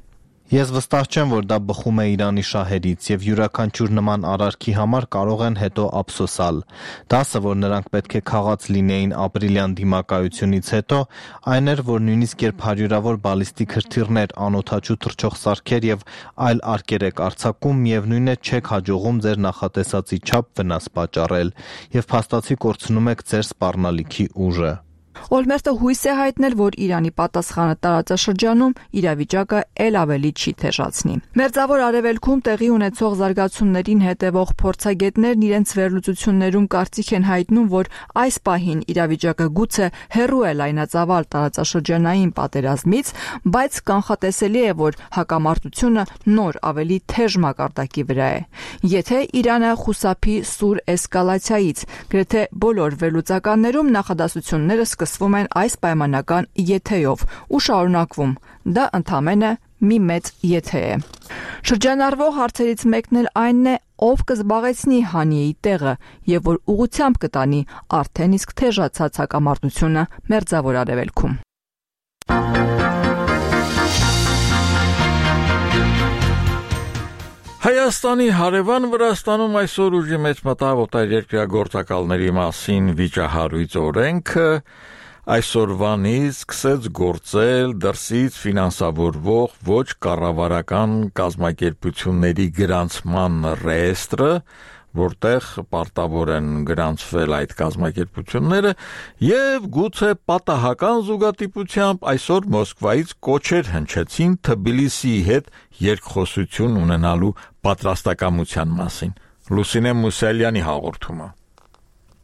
Ես վստահ չեմ, որ դա բխում է Իրանի շահերից եւ յուրաքանչյուր նման արարքի համար կարող են հետո ափսոսալ։ Դասը, որ նրանք պետք է քաղած լինեին ապրիլյան դիմակայությունից հետո, այն էր, որ նույնիսկ երբ հարյուրավոր բալիստիկ հրթիռներ, անօդաչու թռչող սարքեր եւ այլ արկեր եք արձակում, միևնույն է չեք հաջողում ձեր նախատեսածի չափ վնաս պատճառել եւ փաստացի կորցնում եք ձեր սպառնալիքի ուժը։ Օլմերտը հույս է հայտնել, որ Իրանի պատասխանը տարածաշրջանում իրավիճակը ել ավելի չի թեժացնի։ Մերձավոր Արևելքում տեղի ունեցող զարգացումներին հետևող փորձագետներն իրենց վերլուծություններում կարծիք են հայտնում, որ այս պահին իրավիճակը գուցե հեռու է լայնածավալ տարածաշրջանային պատերազմից, բայց կանխատեսելի է, որ հակամարտությունը նոր ավելի թեժ մակարդակի վրա է։ Եթե Իրանը խուսափի սուր էսկալացիայից, գրեթե բոլոր վերլուծականներում նախադասությունները սկսվում են այս պայմանական եթեով ու շարունակվում։ Դա ընդամենը մի մեծ եթե է։ Շրջանառվող հարցերից մեկն էլ այն է, ով կզբաղեցնի Հանիեի տեղը եւ որ ուղղությամբ կտանի արդեն իսկ թեժացած հակամարտությունը Մերձավոր Արևելքում։ Հայաստանի հարևան Վրաստանում այսօր ուժի մեջ մտավ օտարերկրյա գործակալների մասին վիճահարույց օրենքը, այսօրվանից սկսեց գործել դրսից ֆինանսավորվող ոչ կառավարական կազմակերպությունների գրանցման ռեեստրը, որտեղ պարտավոր են գրանցվել այդ կազմակերպությունները եւ գուցե պատահական զուգադիպությամբ այսօր Մոսկվայից կոչեր հնչեցին Թբիլիսիի հետ երկխոսություն ունենալու պատրաստակամության մասին։ Լուսինե Մուսալյանի հաղորդումը։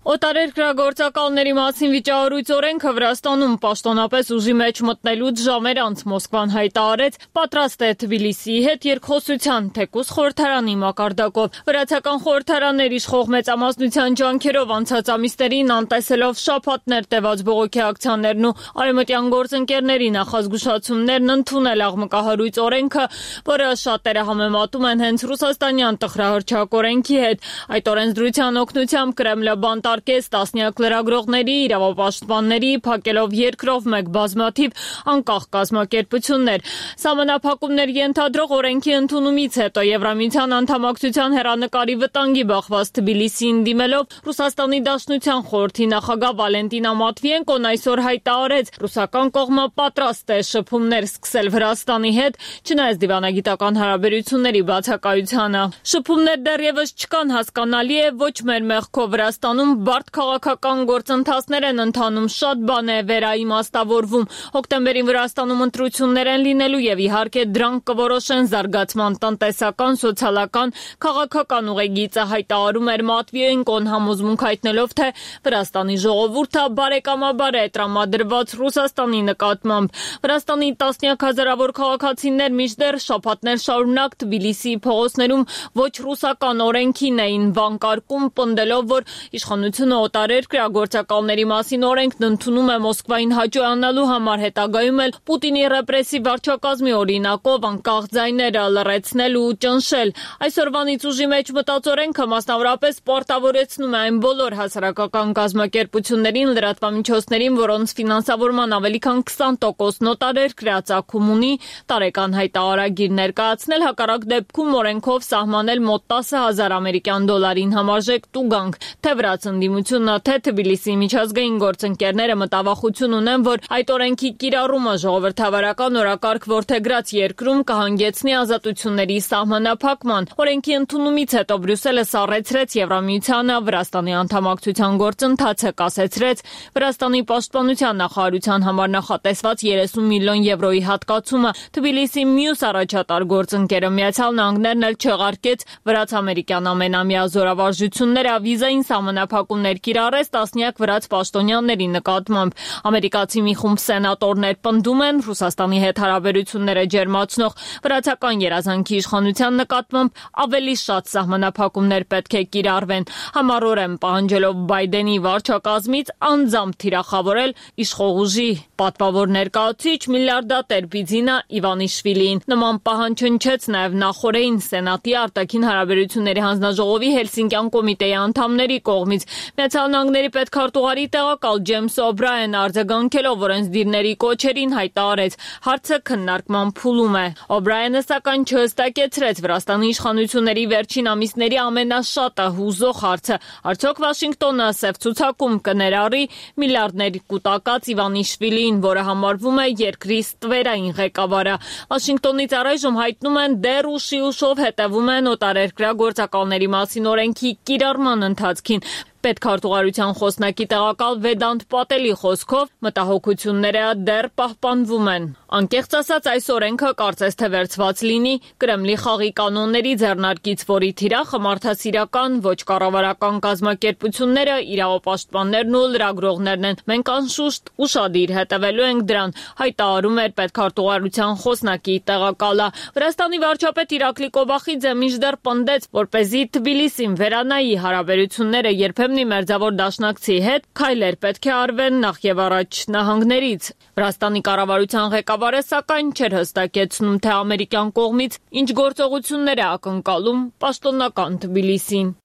Օտարերկրագործակալների մասին վիճահարույց օրենքը Վրաստանում պաշտոնապես ուժի մեջ մտնելուց ժամեր անց Մոսկվան հայտարարեց պատրաստ է Թբիլիսիի հետ երկխոսության, թեկուզ խորհրդարանի մակարդակով։ Վրացական խորհրդարաններ իշխող մեծամասնության ջանքերով անցած ամիսներին անտեսելով շաբաթներ տևած բողոքի ակցիաներն ու արևմտյան գործընկերների նախազգուշացումներն ընդունել աղմկահարույց օրենքը, որը շատերը համեմատում են հենց ռուսաստանյան տխրահռչակ օրենքի հետ։ Այդ օրենսդրության օգնությամբ Կրեմլը բանտար Արկես տասնյակ լրագրողների, իրավապաշտպանների, փակելով երկրով մեկ բազմաթիվ անկախ կազմակերպություններ։ Սահմանափակումներ ենթադրող օրենքի ընդունումից հետո Եվրամիության անդամակցության հեռանկարի վտանգի բախված Թբիլիսիին դիմելով Ռուսաստանի Դաշնության խորհրդի նախագահ Վալենտինա Մատվիենկոն այսօր հայտարարեց, ռուսական կողմը պատրաստ է շփումներ սկսել Վրաստանի հետ, չնայած դիվանագիտական հարաբերությունների բացակայությանը։ Շփումներ դեռևս չկան, հասկանալի է, ոչ մեր մեղքով Վրաստանում բարդ քաղաքական գործընթացներ են ընթանում, շատ բան է վերաիմաստավորվում։ Հոկտեմբերին Վրաստանում ընտրություններ են լինելու եւ իհարկե դրանք կորոշեն զարգացման տնտեսական, սոցիալական, քաղաքական ուղեգիծը, հայտարարում էր Մատվիենկոն, համոզմունք հայտնելով, թե Վրաստանի ժողովուրդը բարեկամաբար է տրամադրված Ռուսաստանի նկատմամբ։ Վրաստանի տասնյակ հազարավոր քաղաքացիներ մինչդեռ շաբաթներ շարունակ Թբիլիսիի փողոցներում ոչ ռուսական օրենքին էին վանկարկում, պնդելով, որ իշխանությունը օտարերկրյա գործակալների մասին օրենքն ընդունում է Մոսկվային հաճոյանալու համար, հետագայում էլ Պուտինի ռեպրեսիվ վարչակազմի օրինակով անկախ ձայները լռեցնել ու ճնշել։ Այսօրվանից ուժի մեջ մտած օրենքը մասնավորապես պարտավորեցնում է այն բոլոր հասարակական կազմակերպություններին, լրատվամիջոցներին, որոնց ֆինանսավորման ավելի քան քսան տոկոսն օտարերկրյա ծագում ունի, տարեկան հայտարարագիր ներկայացնել, հակառակ դեպքում օրենքով սահմանել մոտ տասը հազար ամերիկյան դոլարին համարժեք տուգանք։ Թե վրաց ընդդիմությունը, թե Թբիլիսիի միջազգային գործընկերները մտավախություն ունեն, որ այդ օրենքի կիրառումը ժողովրդավարական օրակարգ որդեգրած երկրում կհանգեցնի ազատությունների սահմանափակման։ Օրենքի ընդունումից հետո Բրյուսելը սառեցրեց Եվրամիությանը Վրաստանի անդամակցության գործընթացը, կասեցրեց Վրաստանի պաշտպանության նախարարության համար նախատեսված երեսուն միլիոն եվրոյի հատկացումը։ Թբիլիսիի մյուս առաջատար գործընկերը Միացյալ Նահանգներն էլ չեղարկեց վրաց-ամերիկյան ամենամյա զորավարժությունները վիզային սահմանափակումներ կիրառեց տասնյակ վրաց պաշտոնյաների նկատմամբ։ Ամերիկացի մի խումբ սենատորներ պնդում են Ռուսաստանի հետ հարաբերությունները ջերմացնող վրացական երազանքի իշխանության նկատմամբ ավելի շատ սահմանափակումներ պետք է կիրառվեն, համառորեն պահանջելով Բայդենի վարչակազմից անձամբ թիրախավորել իշխող ուժի պատվավոր ներկայացուցիչ միլիարդատեր Բիձինա Իվանիշվիլիին։ Նման պահանջ հնչեց նաև նախորդին Սենատի արտաքին հարաբերությունների հանձնաժողովի Հելսինկյան կոմիտեի անդամների կողմից։ Միացյալ Նահանգների պետքարտուղարի տեղակալ Ջեյմս Օբրաեն արձագանքելով օրենսդիրների կոչերին հայտարարեց, հարցը քննարկման փուլում է։ Օբրաենը սակայն չհստակեցրեց Վրաստանի իշխանությունների վերջին ամիսների ամենաշատը հուզող հարցը, արդյոք Վաշինգտոնը սև ցուցակում կներառի միլիարդներ կուտակած Իվանիշվիլին, որը համարվում է երկրի ստվերային ղեկավարը։ Վաշինգտոնից առայժմ հայտնում են դեռ ուշի ուշով հետևում են օտարերկրյա գործակալների մասին օրենքի կիրառման ընթացքին։ Պետքարտուղարության խոսնակի տեղակալ Վեդանտ Պատելի խոսքով մտահոգությունները դեռ պահպանվում են։ Անկեղծ ասած, այս օրենքը կարծես թե վերցված լինի Կրեմլի խաղի կանոնների ձեռնարկից, որի թիրախը մարդասիրական ոչ կառավարական կազմակերպությունները, իրավապաշտպաններն ու լրագրողներն են։ Մենք անշուշտ ուշադիր հետևելու ենք դրան, հայտարարում էր պետքարտուղարության խոսնակի տեղակալը։ Վրաստանի վարչապետ Իրակլի Կոբախիձը մինչդեռ պնդեց, որպեսզի Թբիլիսին վերանայի հարաբերությունները երբեմն մերձավոր դաշնակցի հետ, քայլեր պետք է արվեն նախ եւ առաջ նահանգներից։ Վրաստանի կառավարության ղեկավարը սակայն չէր հստակեցնում, թե ամերիկյան կողմից ինչ գործողություններ է ակնկալում պաշտոնական Թբիլիսին։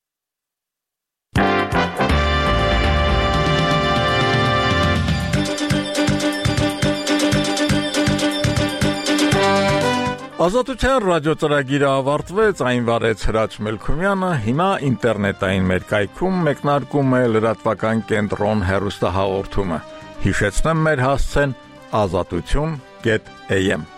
Ազատության ռադիոծրագիրը ավարտվեց, այն վարեց Հրաչ Մելքումյանը, հիմա ինտերնետային մեր կայքում մեկնարկում է լրատվական կենտրոն հեռուստահաղորդումը։ Հիշեցնեմ մեր հասցեն ազատություն կետ էյ էմ